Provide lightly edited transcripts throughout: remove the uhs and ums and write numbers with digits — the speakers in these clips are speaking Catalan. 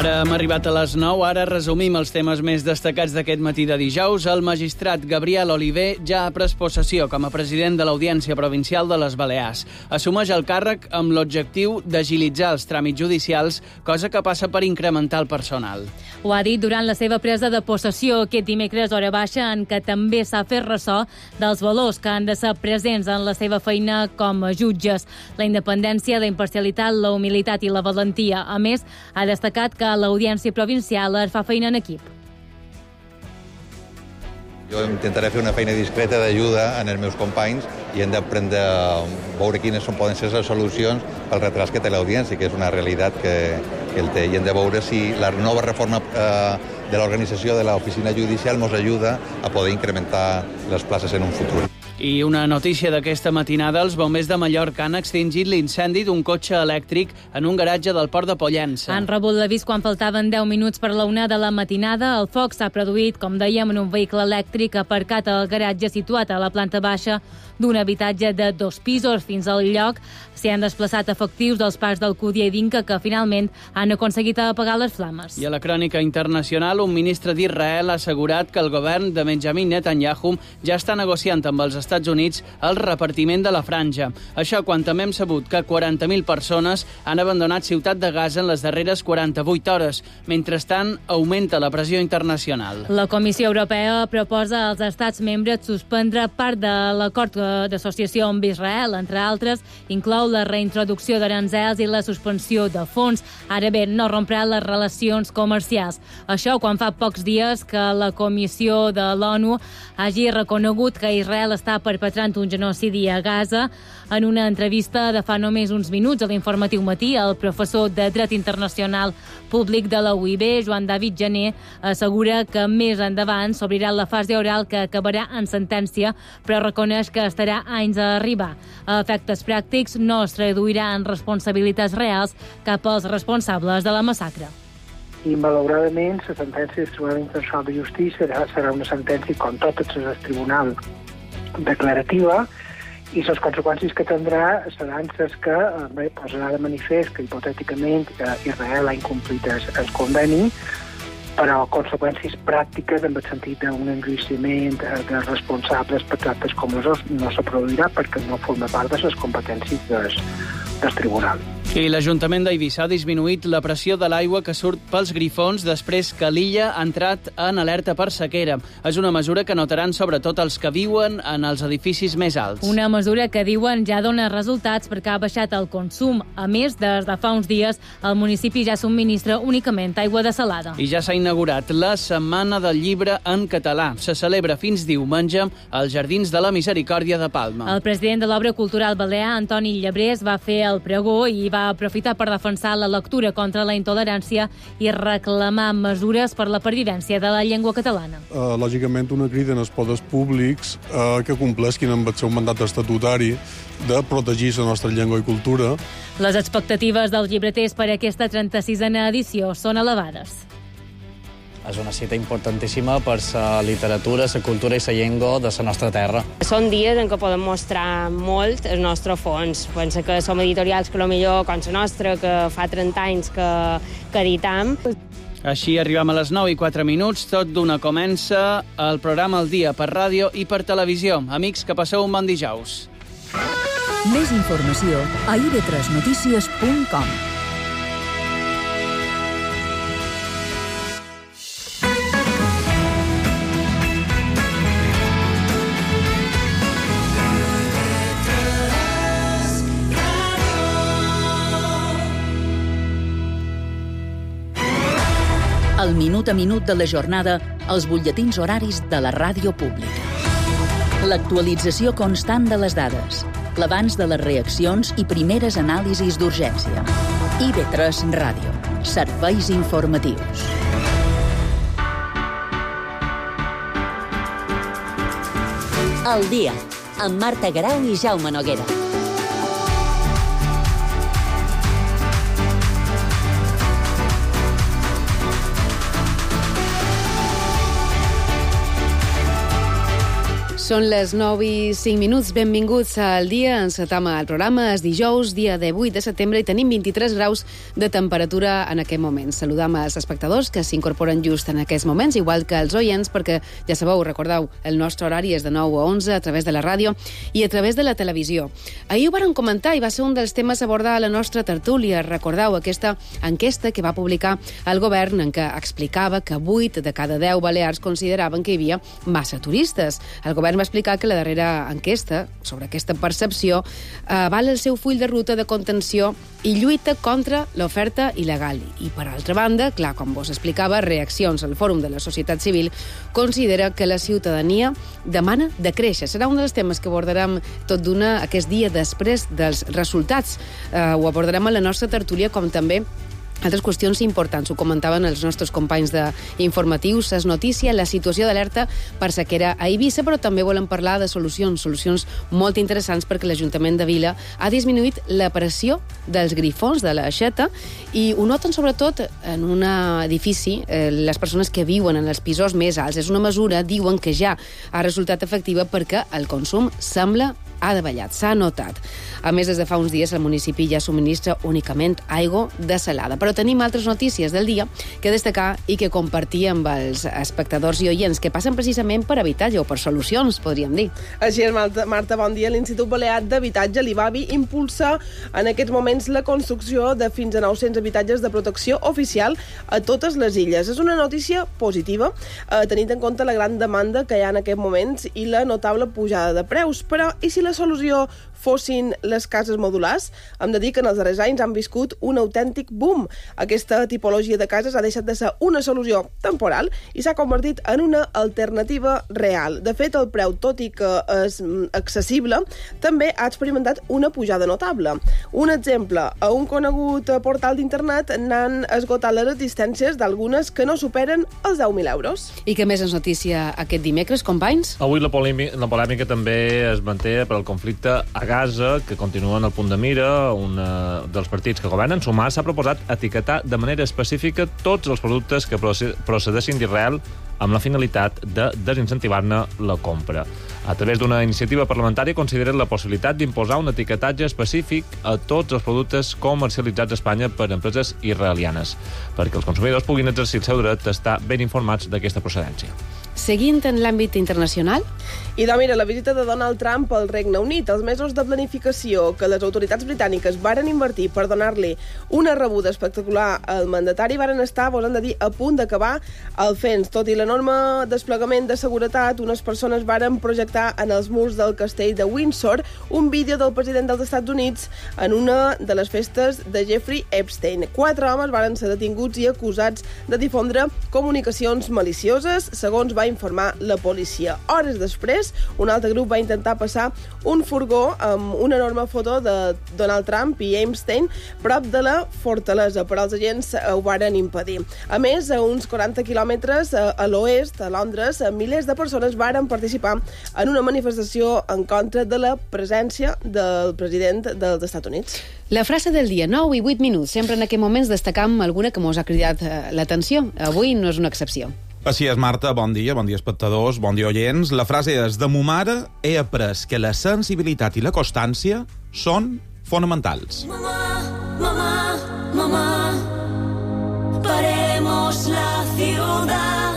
Ara hem arribat a les 9, ara resumim els temes més destacats d'aquest matí de dijous. El magistrat Gabriel Oliver ja ha pres possessió com a president de l'Audiència Provincial de les Balears. Assumeix el càrrec amb l'objectiu d'agilitzar els tràmits judicials, cosa que passa per incrementar el personal. Ho ha dit durant la seva presa de possessió aquest dimecres hora baixa, en què també s'ha fet ressò dels valors que han de ser presents en la seva feina com a jutges: la independència, la imparcialitat, la humilitat i la valentia. A més, ha destacat que l'Audiència Provincial es fa feina en equip. Jo intentaré fer una feina discreta d'ajuda en els meus companys i hem d'aprendre a veure quines poden ser les solucions pel retras que té l'audiència, que és una realitat que el té. I hem de veure si la nova reforma de l'organització de l'oficina judicial ens ajuda a poder incrementar les places en un futur. I una notícia d'aquesta matinada: els bombers de Mallorca han extingit l'incendi d'un cotxe elèctric en un garatge del port de Pollença. Han rebut l'avís quan faltaven 10 minuts per la 1 de la matinada. El foc s'ha produït, com dèiem, en un vehicle elèctric aparcat al garatge situat a la planta baixa d'un habitatge de 2 pisos. Fins al lloc s'hi han desplaçat efectius dels parcs del Cúdia i d'Inca, que finalment han aconseguit apagar les flames. I a la crònica internacional, un ministre d'Israel ha assegurat que el govern de Benjamin Netanyahu ja està negociant amb els Estats Units el repartiment de la franja. Això quan també hem sabut que 40.000 persones han abandonat Ciutat de Gaza en les darreres 48 hores. Mentrestant, augmenta la pressió internacional. La Comissió Europea proposa als estats membres suspendre part de l'acord d'associació amb Israel. Entre altres, inclou la reintroducció d'aranzels i la suspensió de fons. Ara bé, no romprà les relacions comercials. Això quan fa pocs dies que la Comissió de l'ONU hagi reconegut que Israel està perpetrant un genocidi a Gaza. En una entrevista de fa només uns minuts a l'Informatiu Matí, el professor de Dret Internacional Públic de la UIB, Joan David Jané, assegura que més endavant s'obrirà la fase oral que acabarà en sentència, però reconeix que estarà anys a arribar. A efectes pràctics, no es traduirà en responsabilitats reals cap als responsables de la massacre. I, malauradament, la sentència del Tribunal Internacional de Justícia serà una sentència, com totes les del Tribunal, declarativa, i les conseqüències que tindrà seran les que posarà de manifest que, hipotèticament, Israel ha incomplit el conveni, però conseqüències pràctiques en el sentit d'un enjuiciament de responsables per tractes comesos no se produirà perquè no forma part de les competències del tribunal. I l'Ajuntament d'Eivissa ha disminuït la pressió de l'aigua que surt pels grifons després que l'illa ha entrat en alerta per sequera. És una mesura que notaran sobretot els que viuen en els edificis més alts. Una mesura que diuen ja dona resultats perquè ha baixat el consum. A més, des de fa uns dies, el municipi ja subministra únicament aigua dessalada. I ja s'ha inaugurat la Setmana del Llibre en català. Se celebra fins diumenge als Jardins de la Misericòrdia de Palma. El president de l'Obra Cultural Balear, Antoni Llebrés, va fer el pregó i va aprofitar per defensar la lectura contra la intolerància i reclamar mesures per la pervivència de la llengua catalana. Lògicament, una crida en els poders públics que compleixin amb el seu mandat estatutari de protegir la nostra llengua i cultura. Les expectatives dels llibreters per a aquesta 36a edició són elevades. És una cita importantíssima per la literatura, la cultura i la llengua de la nostra terra. Són dies en què podem mostrar molt el nostre fons. Penso que som editorials que potser com la nostra, que fa 30 anys que editam. Així arribem a les 9:04. Tot d'una comença el programa El Dia per ràdio i per televisió. Amics, que passeu un bon dijous. Més informació a ib3notícies.com. El minut a minut de la jornada als butlletins horaris de la ràdio pública. L'actualització constant de les dades, l'abans de les reaccions i primeres anàlisis d'urgència. IB3 Ràdio. Serveis informatius. El dia, amb Marta Garau i Jaume Noguera. Són les 9:05. Benvinguts al dia. Encetam el programa. És dijous, dia de 8 de setembre, i tenim 23 graus de temperatura en aquest moment. Saludam als espectadors que s'incorporen just en aquests moments, igual que els oients, perquè ja sabeu, recordeu, el nostre horari és de 9 a 11 a través de la ràdio i a través de la televisió. Ahir ho varen comentar i va ser un dels temes a abordar a la nostra tertúlia. Recordeu aquesta enquesta que va publicar el govern en què explicava que 8 de cada 10 balears consideraven que hi havia massa turistes. El govern va explicar que la darrera enquesta sobre aquesta percepció avala el seu full de ruta de contenció i lluita contra l'oferta il·legal. I, per altra banda, clar, com vos explicava, Reaccions al Fòrum de la Societat Civil considera que la ciutadania demana de créixer. Serà un dels temes que abordarem tot d'una aquest dia després dels resultats. Ho abordarem a la nostra tertúlia, com també altres qüestions importants. Ho comentaven els nostres companys d'informatius. Es notícia la situació d'alerta per sequera a Eivissa, però també volem parlar de solucions molt interessants, perquè l'Ajuntament de Vila ha disminuït la pressió dels grifons de l'aixeta i ho noten sobretot en un edifici les persones que viuen en els pisos més alts. És una mesura, diuen, que ja ha resultat efectiva perquè el consum sembla ha davallat, s'ha notat. A més, des de fa uns dies el municipi ja subministra únicament aigua desalada. Però tenim altres notícies del dia que destacar i que compartir amb els espectadors i oients que passen precisament per habitatge o per solucions, podríem dir. Així és, Marta, bon dia. L'Institut Balear d'Habitatge, l'IBABI, impulsa en aquests moments la construcció de fins a 900 habitatges de protecció oficial a totes les illes. És una notícia positiva, tenint en compte la gran demanda que hi ha en aquests moments i la notable pujada de preus. Però, i si la solució fossin les cases modulars? Hem de dir que en els darrers anys han viscut un autèntic boom. Aquesta tipologia de cases ha deixat de ser una solució temporal i s'ha convertit en una alternativa real. De fet, el preu, tot i que és accessible, també ha experimentat una pujada notable. Un exemple, a un conegut portal d'internet n'han esgotat les existències d'algunes que no superen els 10.000 euros. I què més ens notícia aquest dimecres, companys? Avui la polèmica també es manté per al conflicte a Gaza, que continua en el punt de mira. Un dels partits que governen, Sumar, s'ha proposat etiquetar de manera específica tots els productes que procedeixin d'Israel amb la finalitat de desincentivar-ne la compra. A través d'una iniciativa parlamentària consideren la possibilitat d'imposar un etiquetatge específic a tots els productes comercialitzats a Espanya per empreses israelianes, perquè els consumidors puguin exercir el seu dret a estar ben informats d'aquesta procedència. Seguint en l'àmbit internacional? I mira, la visita de Donald Trump al Regne Unit, els mesos de planificació que les autoritats britàniques varen invertir per donar-li una rebuda espectacular al mandatari varen estar, volen de dir, a punt d'acabar el fens. Tot i l'enorme desplegament de seguretat, unes persones varen projectar en els murs del castell de Windsor un vídeo del president dels Estats Units en una de les festes de Jeffrey Epstein. 4 homes varen ser detinguts i acusats de difondre comunicacions malicioses, segons va informar la policia. Hores després, un altre grup va intentar passar un furgó amb una enorme foto de Donald Trump i Epstein prop de la fortalesa, però els agents ho varen impedir. A més, a uns 40 quilòmetres a l'oest, a Londres, milers de persones varen participar en una manifestació en contra de la presència del president dels Estats Units. La frase del dia, 9 i 8 minuts. Sempre en aquests moments destacam alguna que mos ha cridat l'atenció. Avui no és una excepció. Així és, Marta. Bon dia espectadors, bon dia oients. La frase és: de mo mare he après que la sensibilitat i la constància són fonamentals. Mamá, paremos la ciudad,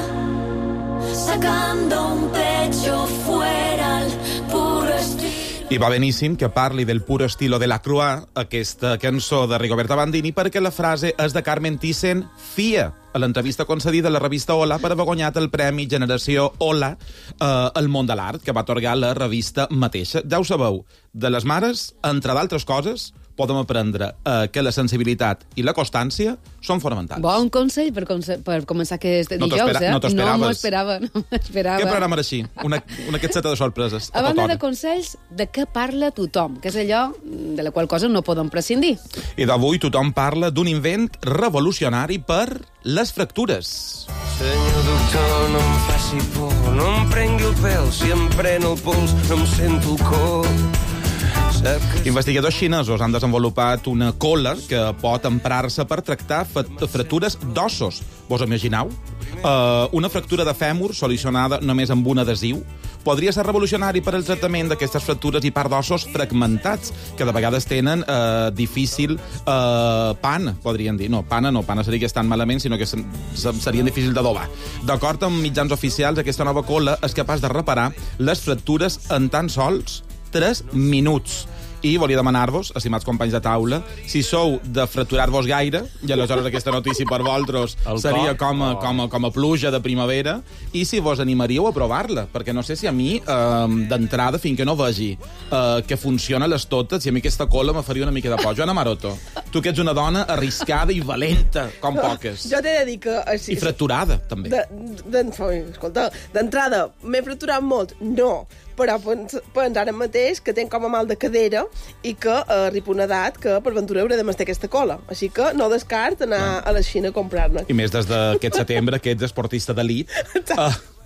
sacando un pecho fuera al puro estilo. I va beníssim que parli del pur estilo de la Croix, aquesta cançó de Rigoberta Bandini, perquè la frase és de Carmen Thyssen Fia, a l'entrevista concedida a la revista Hola per haver guanyat el Premi Generació Hola al món de l'art, que va atorgar la revista mateixa. Ja ho sabeu, de les mares, entre d'altres coses, podem aprendre que la sensibilitat i la constància són fonamentals. Bon consell per començar aquest dijous, No t'ho esperaves. No m'ho esperava. Què programa era així? Una catseta de sorpreses. A banda de consells, de què parla tothom? Que és allò de la qual cosa no podem prescindir. I d'avui tothom parla d'un invent revolucionari per les fractures. Senyor doctor, no em faci por, no em prengui el pèl, si em pren el pols no em sento el cor. Investigadors xinesos han desenvolupat una cola que pot emprar-se per tractar fractures d'ossos. Vos imagineu? Una fractura de fèmur solucionada només amb un adhesiu podria ser revolucionari per al tractament d'aquestes fractures i part d'ossos fragmentats, que de vegades tenen difícil pana, podrien dir. No, pana seria que estan malament, sinó que serien difícils d'adobar. D'acord amb mitjans oficials, aquesta nova cola és capaç de reparar les fractures en tan sols 3 minuts. I volia demanar-vos, estimats companys de taula, si sou de fracturar-vos gaire, i aleshores aquesta notícia per vosaltres seria com a pluja de primavera, i si vos animaríeu a provar-la, perquè no sé si a mi, d'entrada, fins que no vegi que funciona les totes, i a mi aquesta cola me faria una mica de por. Joana Maroto, tu que ets una dona arriscada i valenta, com poques. Jo t'he de dir que... I fracturada, també. Escolta, d'entrada, m'he fracturat molt? No. Però pens ara mateix que tenc com a mal de cadera i que arribo a una edat que per ventura hauré de mastar aquesta cola. Així que no descart anar a la Xina a comprar-ne. I més des d'aquest setembre, que ets esportista d'elit,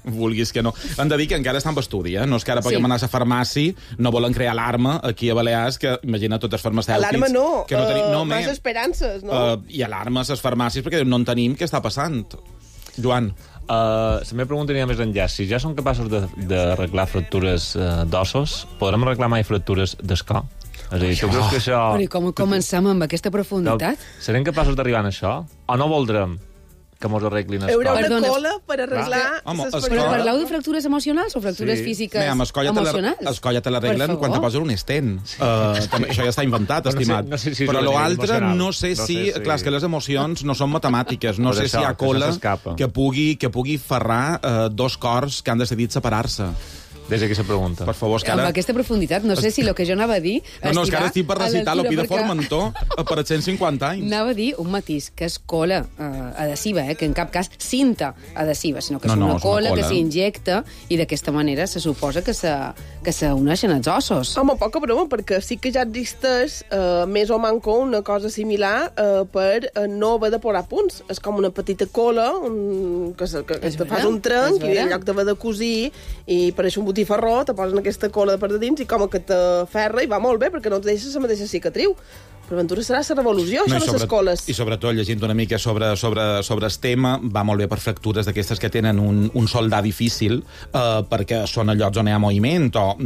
vulguis que no. Hem de dir que encara està en estudi, no és que ara puguem anar a la farmàcia, no volen crear alarma aquí a Balears, que imagina tots els farmacèutics... Alarma no, que no tenim, més esperances, no? I alarmes a les farmàcies perquè no en tenim què està passant. Joan... La meva pregunta anirà més enllà. Si ja som capaços d'arreglar fractures d'ossos, podrem arreglar mai fractures d'escó? És a dir, tu creus que això... Però com comencem amb aquesta profunditat? Serem capaços d'arribar a això? O no voldrem que mos arreglin escó? Hi haurà una cola per arreglar... Però parleu de fractures emocionals o fractures físiques emocionals? El coll ja te l'arreglen quan te posen un estent. Això ja està inventat, estimat. Però l'altre no sé si... Clar, és que les emocions no són matemàtiques. No sé si hi ha cola que pugui ferrar dos cors que han decidit separar-se. Des d'aquí se pregunta. Per favor, amb aquesta profunditat, no sé si el que jo anava a dir... No, és que ara estic per recitar l'opí de Formentor per 150 anys. Anava a dir un matís, que és cola adhesiva, que en cap cas cinta adhesiva, sinó que és una cola que s'injecta i d'aquesta manera se suposa que s'uneixen els ossos. Home, poca broma, perquè sí que ja existeix més o manco una cosa similar per no haver de posar punts. És com una petita cola que te fas un trenc i en lloc d'haver de cosir i per això un botifarró, te posen aquesta cola de per de dins i com que te ferra i va molt bé perquè no et deixa la mateixa cicatriu. Per aventura serà la revolució, això de les coles. I sobretot, llegint una mica sobre el tema, va molt bé per fractures d'aquestes que tenen un soldar difícil, perquè són a llocs on hi ha moviment o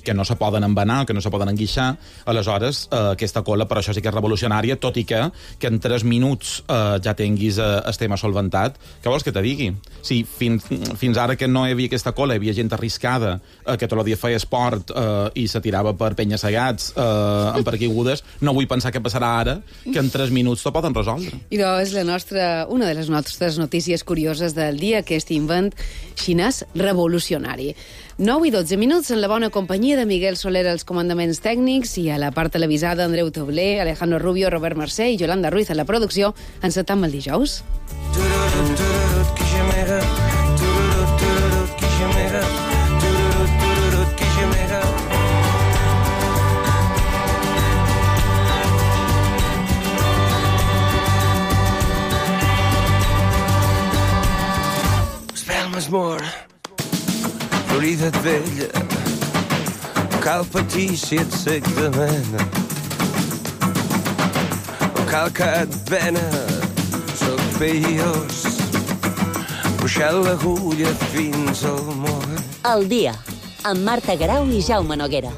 que no se poden embenar, que no se poden enguixar. Aleshores, aquesta cola, per això sí que és revolucionària, tot i que en 3 minuts ja tinguis el tema solventat. Què vols que te digui? Si fins ara que no hi havia aquesta cola, hi havia gent arriscada, que tot el dia feia esport i se tirava per penya-segats, en paracaigudes, no vull pensar què passarà ara, que en 3 minuts t'ho poden resoldre. I és una de les nostres notícies curioses del dia, aquest invent xinès revolucionari. 9 i 12 minuts en la bona companyia de Miguel Soler als comandaments tècnics i a la part televisada Andreu Tobler, Alejandro Rubio, Robert Mercè i Yolanda Ruiz a la producció. Encetam el dijous. Espelmes mor, Florida vella, cal patir si et sec de mena, cal que et vena, soc peiós, puxant l'agulla fins al moll. El dia, amb Marta Grau i Jaume Noguera.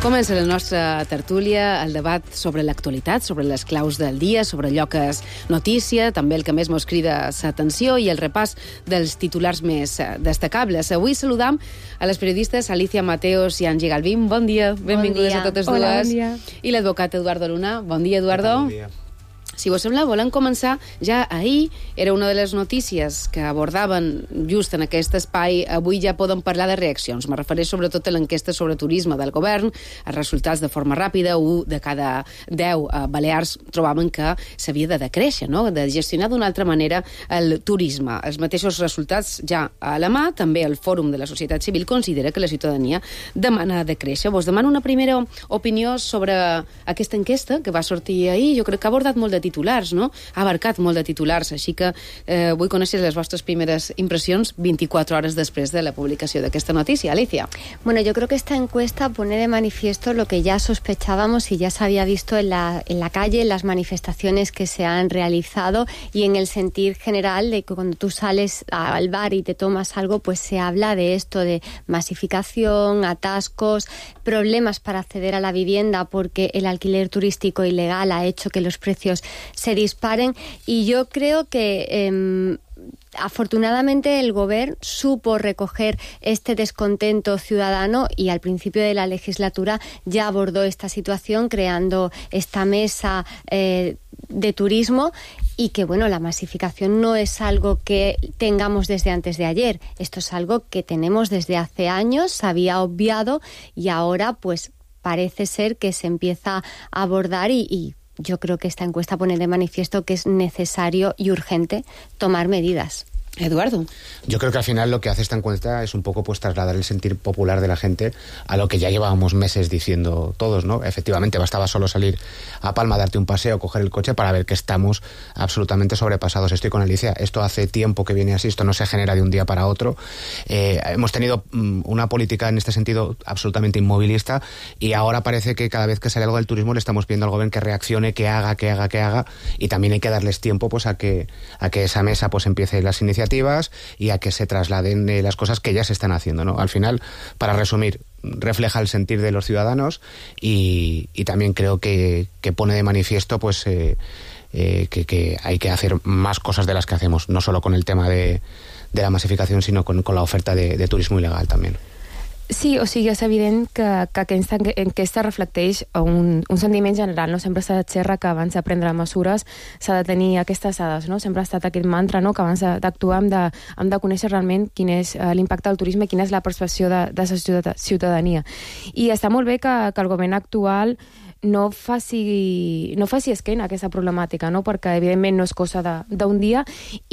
Comença la nostra tertúlia, el debat sobre l'actualitat, sobre les claus del dia, sobre allò que és notícia, també el que més mos crida l'atenció i el repàs dels titulars més destacables. Avui saludam a les periodistes Alicia Mateos i Angie Galvin. Bon dia, benvingudes a totes dues. Hola, bon dia. I l'advocat Eduardo Luna. Bon dia, Eduardo. Bon dia. Si vos sembla, volem començar ja ahir. Era una de les notícies que abordaven just en aquest espai. Avui ja podem parlar de reaccions. Me refereix sobretot a l'enquesta sobre turisme del govern. Els resultats de forma ràpida, 1 de cada 10 balears trobaven que s'havia de decréixer, no? De gestionar d'una altra manera el turisme. Els mateixos resultats ja a la mà. També el Fòrum de la Societat Civil considera que la ciutadania demana decréixer. Vos demano una primera opinió sobre aquesta enquesta que va sortir ahir. Jo crec que ha abordat molt de titulars, no? Ha abarcat molt de titulars, així que vull conèixer les vostres primeres impressions 24 hores després de la publicació d'aquesta notícia. Alicia. Bueno, yo creo que esta encuesta pone de manifiesto lo que ya sospechábamos y ya se había visto en la calle, en las manifestaciones que se han realizado y en el sentir general de que cuando tú sales al bar y te tomas algo, pues se habla de esto, de masificación, atascos, problemas para acceder a la vivienda porque el alquiler turístico ilegal ha hecho que los precios se disparen y yo creo que afortunadamente el Govern supo recoger este descontento ciudadano y al principio de la legislatura ya abordó esta situación creando esta mesa de turismo y que, bueno, la masificación no es algo que tengamos desde antes de ayer. Esto es algo que tenemos desde hace años, se había obviado y ahora pues parece ser que se empieza a abordar y yo creo que esta encuesta pone de manifiesto que es necesario y urgente tomar medidas. Eduardo. Yo creo que al final lo que hace esta encuesta es un poco pues trasladar el sentir popular de la gente a lo que ya llevábamos meses diciendo todos, ¿no? Efectivamente, bastaba solo salir a Palma, darte un paseo, coger el coche para ver que estamos absolutamente sobrepasados. Estoy con Alicia, esto hace tiempo que viene así, esto no se genera de un día para otro. Hemos tenido una política en este sentido absolutamente inmovilista y ahora parece que cada vez que sale algo del turismo le estamos pidiendo al gobierno que reaccione, que haga y también hay que darles tiempo pues a que esa mesa pues empiece las iniciativas y a que se trasladen las cosas que ya se están haciendo, ¿no? Al final, para resumir, refleja el sentir de los ciudadanos y también creo que pone de manifiesto pues que hay que hacer más cosas de las que hacemos, no solo con el tema de la masificación, sino con la oferta de turismo ilegal también. Sí, o sigui, és evident que aquesta enquesta reflecteix un sentiment general, no? Sempre s'ha de xerrar que abans de prendre mesures s'ha de tenir aquestes dades, no? Sempre ha estat aquest mantra, no? Que abans d'actuar hem de conèixer realment quin és l'impacte del turisme i quina és la percepció de la ciutadania. I està molt bé que el govern actual no faci esquena a aquesta problemàtica, no? Perquè evidentment no és cosa d'un dia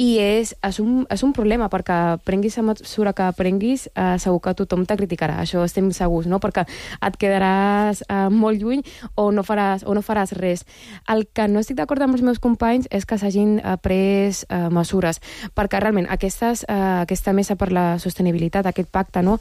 i és un problema, perquè prenguis la mesura que prenguis, segur que tothom te criticarà, això estem segurs, no? Perquè et quedaràs molt lluny o no faràs res. El que no estic d'acord amb els meus companys és que s'hagin pres mesures, perquè realment aquesta mesa per la sostenibilitat, aquest pacte, no?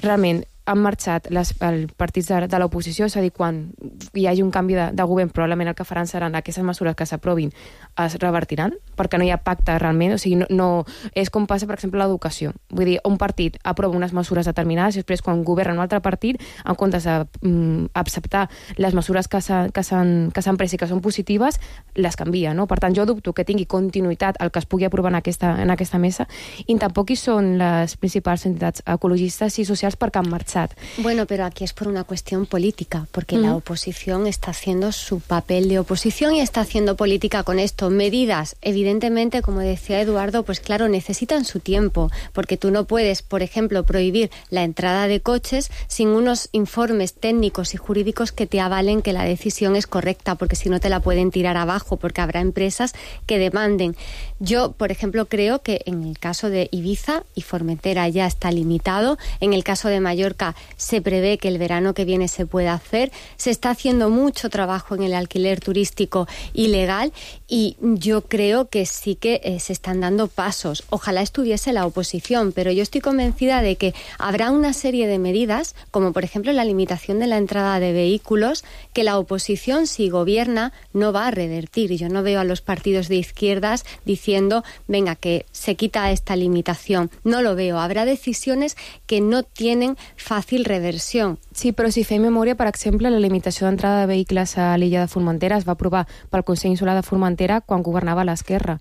Realment han marxat els partits de l'oposició, és a dir, quan hi hagi un canvi de govern, probablement el que faran seran aquestes mesures que s'aprovin es revertiran, perquè no hi ha pacte realment, o sigui, no és com passa, per exemple, a l'educació. Vull dir, un partit aprova unes mesures determinades i després, quan governa un altre partit, en comptes d'acceptar les mesures que s'han pres i que són positives, les canvia, no? Per tant, jo dubto que tingui continuïtat el que es pugui aprovar en aquesta mesa i tampoc hi són les principals entitats ecologistes i socials perquè han marxat. Bueno, pero aquí es por una cuestión política, porque la oposición está haciendo su papel de oposición y está haciendo política con esto. Medidas, evidentemente, como decía Eduardo, pues claro, necesitan su tiempo, porque tú no puedes, por ejemplo, prohibir la entrada de coches sin unos informes técnicos y jurídicos que te avalen que la decisión es correcta, porque si no te la pueden tirar abajo, porque habrá empresas que demanden. Yo, por ejemplo, creo que en el caso de Ibiza y Formentera ya está limitado, en el caso de Mallorca se prevé que el verano que viene se pueda hacer, se está haciendo mucho trabajo en el alquiler turístico ilegal y yo creo que sí que se están dando pasos. Ojalá estuviese la oposición, pero yo estoy convencida de que habrá una serie de medidas, como por ejemplo la limitación de la entrada de vehículos, que la oposición, si gobierna, no va a revertir. Yo no veo a los partidos de izquierdas diciendo, venga, que se quita esta limitación. No lo veo. Habrá decisiones que no tienen fàcil reversió. Sí, però si fem memòria, per exemple, la limitació d'entrada de vehicles a l'illa de Formentera es va aprovar pel Consell Insular de Formentera quan governava l'Esquerra.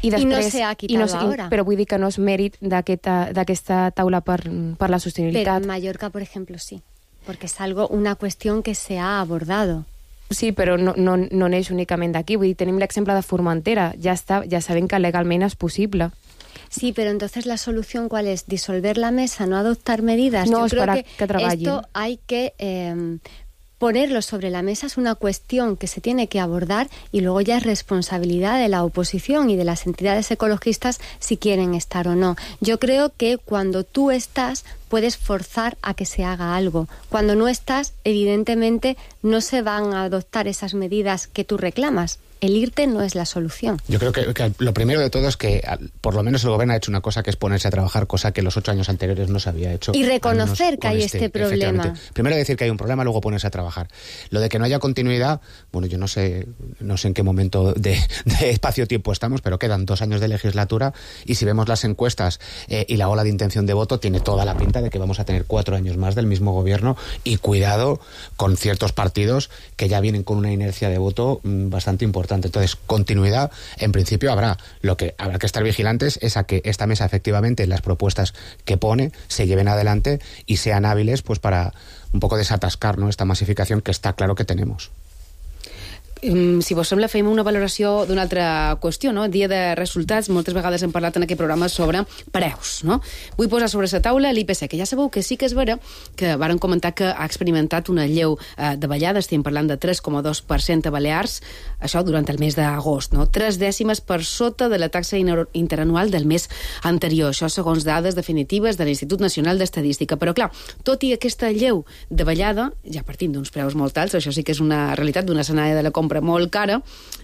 I no se ha quitado ahora. Però vull dir que no és mèrit d'aquesta taula per la sostenibilitat. Pero en Mallorca, por ejemplo, sí, porque es una cuestión que se ha abordado. Sí, però no neix únicament d'aquí. Vull dir, tenim l'exemple de Formentera. Ja sabem que legalment és possible. Sí, pero entonces la solución ¿cuál es? ¿Disolver la mesa? ¿No adoptar medidas? No, yo creo que esto hay que ponerlo sobre la mesa, es una cuestión que se tiene que abordar y luego ya es responsabilidad de la oposición y de las entidades ecologistas si quieren estar o no. Yo creo que cuando tú estás puedes forzar a que se haga algo. Cuando no estás, evidentemente no se van a adoptar esas medidas que tú reclamas. el IRTE no es la solución. Yo creo que lo primero de todo es que por lo menos el gobierno ha hecho una cosa que es ponerse a trabajar, cosa que los 8 años anteriores no se había hecho. Y reconocer que hay este problema. Primero decir que hay un problema, luego ponerse a trabajar. Lo de que no haya continuidad, bueno, yo no sé en qué momento de espacio-tiempo estamos, pero quedan 2 años de legislatura y si vemos las encuestas y la ola de intención de voto, tiene toda la pinta de que vamos a tener 4 años más del mismo gobierno y cuidado con ciertos partidos que ya vienen con una inercia de voto bastante importante. Entonces, continuidad, en principio habrá. Lo que habrá que estar vigilantes es a que esta mesa, efectivamente, las propuestas que pone se lleven adelante y sean hábiles pues para un poco desatascar, ¿no?, esta masificación que està claro que tenemos. Si vos sembla, fem una valoració d'una altra qüestió, no? Dia de resultats, moltes vegades hem parlat en aquest programa sobre preus, no? Vull posar sobre la taula l'IPC, que ja sabeu que sí que és vera que varen comentar que ha experimentat una lleu davallada, estem parlant de 3,2% a Balears, això durant el mes d'agost, no? 3 dècimes per sota de la taxa interanual del mes anterior, això segons dades definitives de l'Institut Nacional d'Estadística. Però clar, tot i aquesta lleu davallada, ja partim d'uns preus molt alts, això sí que és una realitat d'un escenari de la compra molt cara,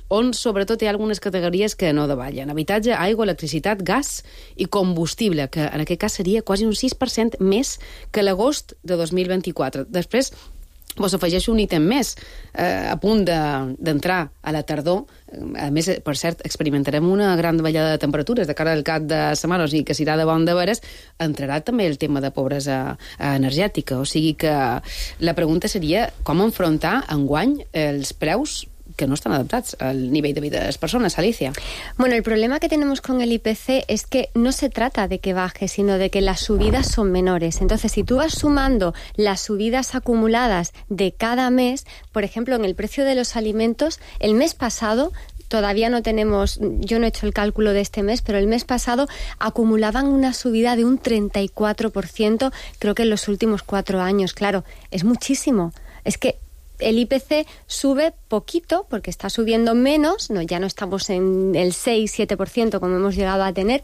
on sobretot hi ha algunes categories que no davallen. Habitatge, aigua, electricitat, gas i combustible, que en aquest cas seria quasi un 6% més que l'agost de 2024. Després vos afegeixo un ítem més, a punt d'entrar a la tardor. A més, per cert, experimentarem una gran davallada de temperatures de cara al cap de setmana, o sigui que si irà de bon de veres, entrarà també el tema de pobresa energètica. O sigui que la pregunta seria com enfrontar enguany els preus que no están adaptados al nivel de vida de las personas. Alicia. Bueno, el problema que tenemos con el IPC es que no se trata de que baje, sino de que las subidas son menores. Entonces, si tú vas sumando las subidas acumuladas de cada mes, por ejemplo, en el precio de los alimentos, el mes pasado todavía no tenemos, yo no he hecho el cálculo de este mes, pero el mes pasado acumulaban una subida de un 34%, creo que en los últimos 4 años. Claro, es muchísimo. Es que el IPC sube poquito porque está subiendo menos, no, ya no estamos en el 6-7% como hemos llegado a tener,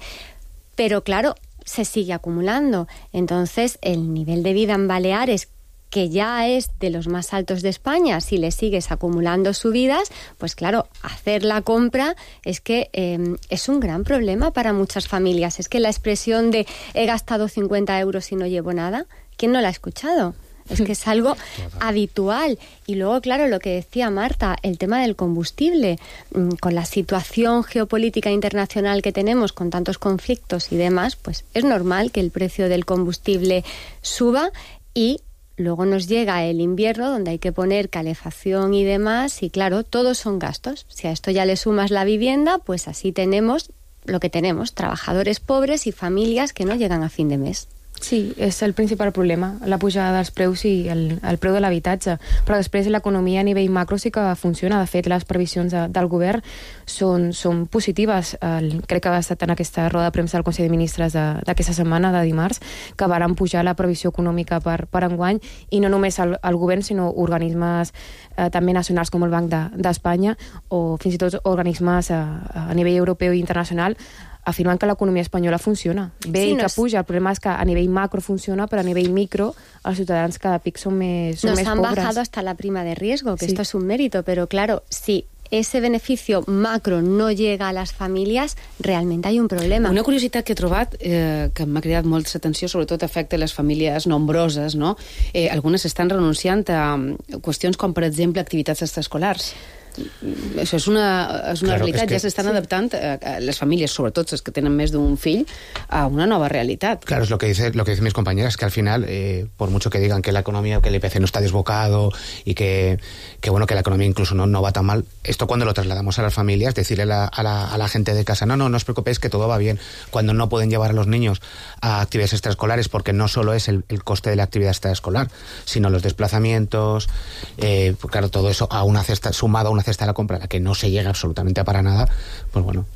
pero claro, se sigue acumulando. Entonces, el nivel de vida en Baleares, que ya es de los más altos de España, si le sigues acumulando subidas, pues claro, hacer la compra es que es un gran problema para muchas familias. Es que la expresión de he gastado 50 euros y no llevo nada, ¿quién no la ha escuchado? Es que es algo habitual. Y luego, claro, lo que decía Marta, el tema del combustible, con la situación geopolítica internacional que tenemos, con tantos conflictos y demás, pues es normal que el precio del combustible suba y luego nos llega el invierno donde hay que poner calefacción y demás y claro, todos son gastos. Si a esto ya le sumas la vivienda, pues así tenemos lo que tenemos, trabajadores pobres y familias que no llegan a fin de mes. Sí, és el principal problema, la pujada dels preus i el preu de l'habitatge. Però després l'economia a nivell macro sí que funciona. De fet, les previsions del govern són positives. Crec que ha estat en aquesta roda de premsa del Consell de Ministres d'aquesta setmana, de dimarts, que varen pujar la previsió econòmica per enguany, i no només el govern, sinó organismes també nacionals com el Banc d'Espanya o fins i tot organismes a nivell europeu i internacional afirman que l'economia espanyola funciona bé i que puja. El problema és que a nivell macro funciona, però a nivell micro els ciutadans cada pic són més pobres. Nos han bajado hasta la prima de riesgo, que sí. Esto es un mérito, pero claro, si ese beneficio macro no llega a las familias, realment hi ha un problema. Una curiositat que he trobat, que m'ha cridat molt l'atenció, sobretot afecta les famílies nombroses, no? Algunes estan renunciant a qüestions com, per exemple, activitats extraescolars. Això és una realitat, ja s'estan adaptant les famílies, sobretot les que tenen més d'un fill, a una nova realitat. Claro, es lo que dicen mis compañeras, que al final, por mucho que digan que la economía, que el IPC no está desbocado y que bueno, que la economía incluso no va tan mal, esto cuando lo trasladamos a las familias, decirle a la gente de casa, no os preocupéis que todo va bien, cuando no pueden llevar a los niños a actividades extraescolares, porque no solo es el coste de la actividad extraescolar, sino los desplazamientos, claro, todo eso a una cesta, sumado a una cesta de la compra, a la que no se llega absolutamente para nada, pues bueno,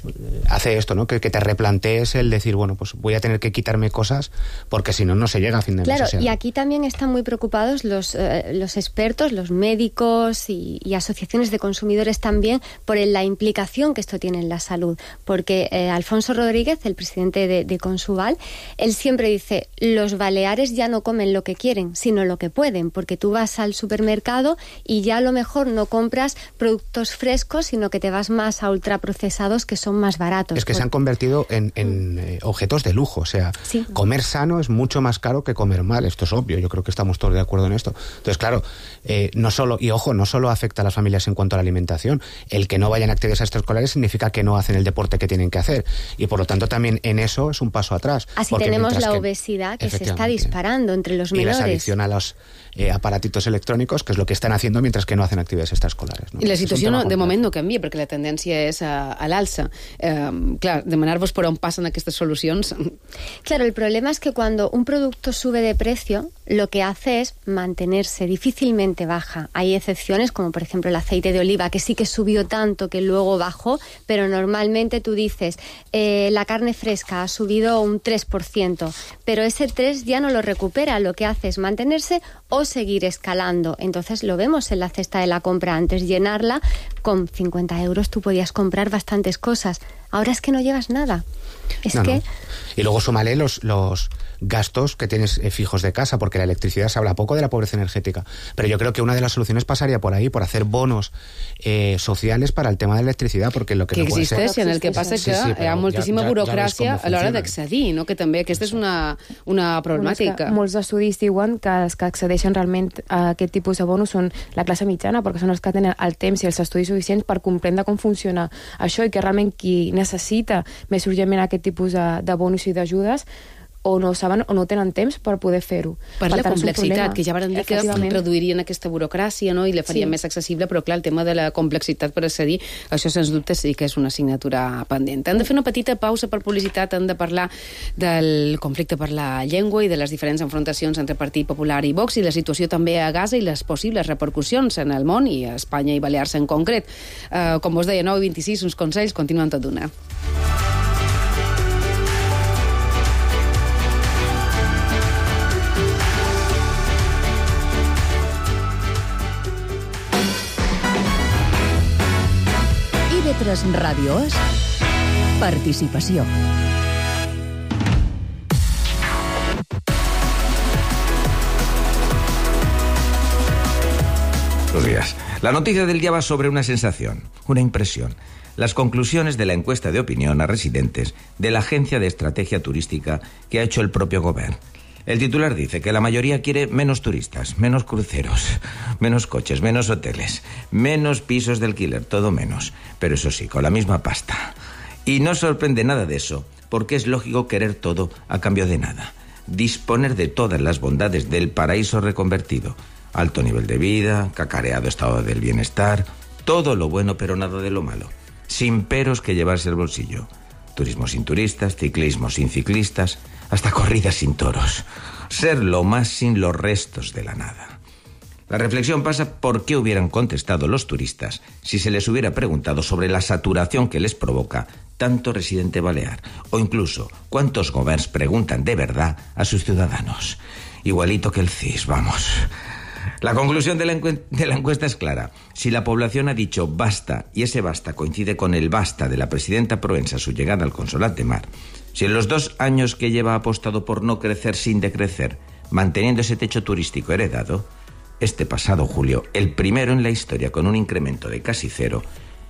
hace esto, ¿no? Que te replantees el decir, bueno, pues voy a tener que quitarme cosas porque si no se llega a fin de mes. Claro, o sea, y aquí también están muy preocupados los expertos, los médicos y asociaciones de consumidores también por la implicación que esto tiene en la salud, porque Alfonso Rodríguez, el presidente de Consubal, él siempre dice, los baleares ya no comen lo que quieren, sino lo que pueden, porque tú vas al supermercado y ya a lo mejor no compras productos productos frescos, sino que te vas más a ultraprocesados que son más baratos. Es que se han convertido en objetos de lujo. O sea, comer sano es mucho más caro que comer mal. Esto es obvio. Yo creo que estamos todos de acuerdo en esto. Entonces, claro, no solo afecta a las familias en cuanto a la alimentación. El que no vayan a actividades extraescolares significa que no hacen el deporte que tienen que hacer. Y por lo tanto también en eso es un paso atrás. Así tenemos la obesidad que se está disparando entre los menores. Y la adicción a los aparatitos electrònics, que és el que estan haciendo mientras que no hacen actividades extraescolares. ¿No? I la situació de moment no canvia, perquè la tendència és a l'alça. Clar, demanar-vos per on passen aquestes solucions... Claro, el problema es que cuando un producto sube de precio, lo que hace es mantenerse, difícilmente baja. Hay excepciones, como por ejemplo el aceite de oliva, que sí que subió tanto que luego bajó, pero normalmente tú dices, la carne fresca ha subido un 3%, pero ese 3 ya no lo recupera, lo que hace es mantenerse o seguir escalando. Entonces lo vemos en la cesta de la compra. Antes llenarla, con 50 euros tú podías comprar bastantes cosas. Ahora es que no llevas nada. No. Y luego súmale los gastos que tienes fijos de casa, porque la electricidad se habla poco de la pobreza energética. Pero yo creo que una de las soluciones pasaría por ahí, por hacer bonos sociales para el tema de l'electricitat, perquè lo que no pot ser... En el que passa que hi ha moltíssima burocràcia a l'hora d'accedir, no? Que també aquesta és una problemàtica. Molts estudis diuen que els que accedeixen realment a aquest tipus de bonos són la classe mitjana, perquè són els que tenen el temps i els estudis suficients per comprendre com funciona això, i que realment qui necessita més urgentment aquest tipus de bonus i d'ajudes o no saben o no tenen temps per poder fer-ho. Per la complexitat, que ja van dir que reduirien aquesta burocràcia, no? I la farien més accessible, però clar, el tema de la complexitat per accedir, això sens dubte sí que és una assignatura pendent. Hem de fer una petita pausa per publicitat, hem de parlar del conflicte per la llengua i de les diferents enfrontacions entre Partit Popular i Vox i la situació també a Gaza i les possibles repercussions en el món i a Espanya i Balears en concret. Com vos deia, 9:26, uns consells, continuen tot d'una. Lletres Ràdio és participació. Buenos días. La noticia del día va sobre una sensación, una impresión. Las conclusiones de la encuesta de opinión a residentes de la Agencia de Estrategia Turística que ha hecho el propio Gobierno. El titular dice que la mayoría quiere menos turistas, menos cruceros, menos coches, menos hoteles, menos pisos de alquiler, todo menos. Pero eso sí, con la misma pasta. Y no sorprende nada de eso, porque es lógico querer todo a cambio de nada. Disponer de todas las bondades del paraíso reconvertido. Alto nivel de vida, cacareado estado del bienestar, todo lo bueno pero nada de lo malo. Sin peros que llevarse al bolsillo. Turismo sin turistas, ciclismo sin ciclistas, hasta corridas sin toros. Ser lo más sin los restos de la nada. La reflexión pasa por qué hubieran contestado los turistas si se les hubiera preguntado sobre la saturación que les provoca tanto residente balear, o incluso cuántos gobiernos preguntan de verdad a sus ciudadanos. Igualito que el CIS, vamos. La conclusión de la encuesta es clara. Si la población ha dicho basta, y ese basta coincide con el basta de la presidenta Proença a su llegada al Consolat de Mar, si en los 2 años que lleva ha apostado por no crecer sin decrecer, manteniendo ese techo turístico heredado, este pasado julio, el primero en la historia con un incremento de casi 0,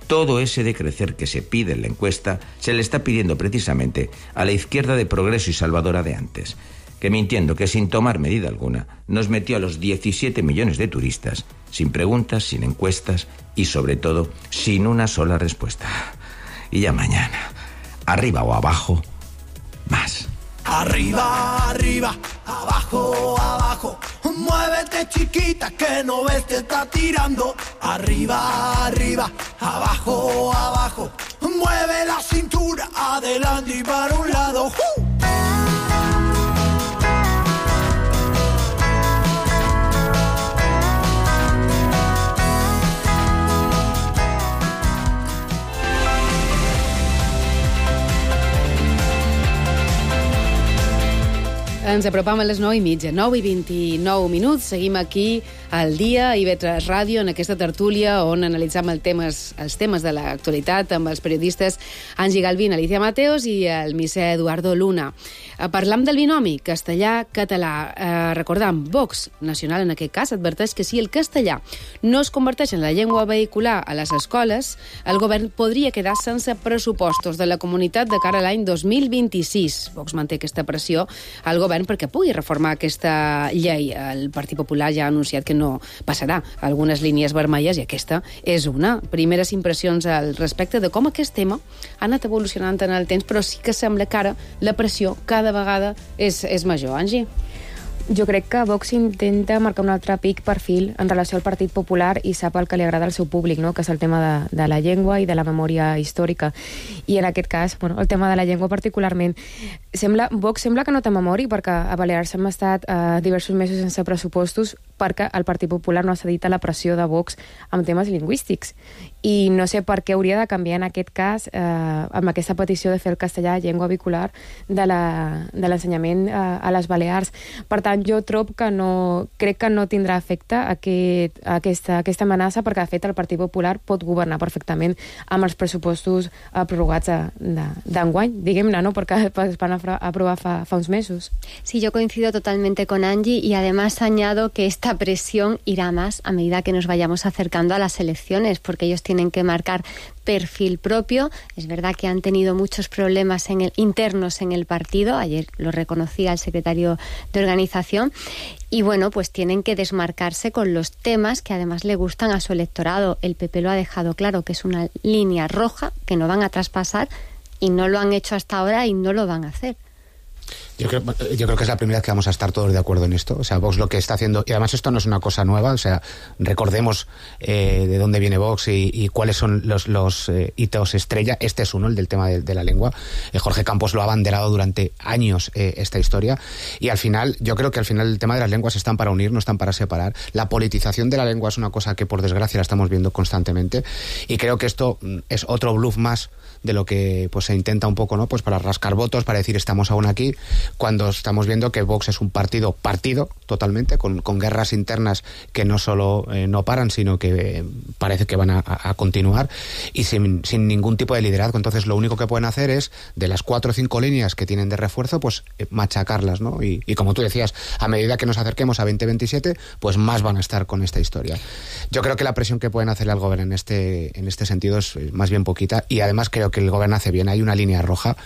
todo ese decrecer que se pide en la encuesta se le está pidiendo precisamente a la izquierda de Progreso y Salvadora de antes, que mintiendo que sin tomar medida alguna nos metió a los 17 millones de turistas, sin preguntas, sin encuestas y sobre todo sin una sola respuesta. Y ya mañana, arriba o abajo, más. Arriba, arriba, abajo, abajo, muévete chiquita que no ves te está tirando. Arriba, arriba, abajo, abajo, mueve la cintura adelante y para un lado. Ens apropam a les 9:30, 9:29. Seguim aquí al dia, a IB3 Ràdio, en aquesta tertúlia on analitzam els temes de l'actualitat amb els periodistes Angie Galvín, Alicia Mateos i el misser Eduardo Luna. Parlam del binomi castellà-català. Recordam, Vox Nacional, en aquest cas, adverteix que si el castellà no es converteix en la llengua vehicular a les escoles, el govern podria quedar sense pressupostos de la comunitat de cara a l'any 2026. Vox manté aquesta pressió al govern perquè pugui reformar aquesta llei. El Partit Popular ja ha anunciat que no passarà algunes línies vermelles i aquesta és una. Primeres impressions al respecte de com aquest tema ha anat evolucionant en el temps, però sí que sembla que ara la pressió cada vegada és major. Angie? Jo crec que Vox intenta marcar un altre pic perfil en relació al Partit Popular i sap el que li agrada al seu públic, no? Que és el tema de la llengua i de la memòria històrica. I en aquest cas, el tema de la llengua particularment, Vox sembla que no té memòria perquè a Balears hem estat diversos mesos sense pressupostos perquè el Partit Popular no ha cedit a la pressió de Vox amb temes lingüístics. I no sé per què hauria de canviar en aquest cas amb aquesta petició de fer el castellà llengua vehicular de l'ensenyament a les Balears. Per tant, jo trobo que crec que no tindrà efecte aquesta amenaça perquè, de fet, el Partit Popular pot governar perfectament amb els pressupostos prorrogats d'enguany, diguem-ne, no? Perquè es van aprovar fa uns mesos. Sí, yo coincido totalmente con Angie y además añado que esta presión irá más a medida que nos vayamos acercando a las elecciones, porque ellos tienen que marcar perfil propio. Es verdad que han tenido muchos problemas internos en el partido, ayer lo reconocía el secretario de organización, y bueno, pues tienen que desmarcarse con los temas que además le gustan a su electorado. El PP lo ha dejado claro que es una línea roja que no van a traspasar y no lo han hecho hasta ahora y no lo van a hacer. Yo creo que es la primera vez que vamos a estar todos de acuerdo en esto. O sea, Vox lo que está haciendo, y además esto no es una cosa nueva, o sea, recordemos de dónde viene Vox y cuáles son los hitos estrella. Este es uno, el del tema de la lengua. Jorge Campos lo ha abanderado durante años esta historia. Y al final, yo creo que al final el tema de las lenguas están para unir, no están para separar. La politización de la lengua es una cosa que por desgracia la estamos viendo constantemente. Y creo que esto es otro bluff más de lo que pues se intenta un poco, ¿no? Pues para rascar votos, para decir estamos aún aquí, cuando estamos viendo que Vox es un partido totalmente, con guerras internas que no solo no paran, sino que parece que van a continuar y sin ningún tipo de liderazgo. Entonces lo único que pueden hacer es, de las 4 o 5 líneas que tienen de refuerzo, pues machacarlas, ¿no? Y como tú decías, a medida que nos acerquemos a 2027, pues más van a estar con esta historia. Yo creo que la presión que pueden hacerle al gobierno en este sentido es más bien poquita, y además creo que el gobierno hace bien. Hay una línea roja.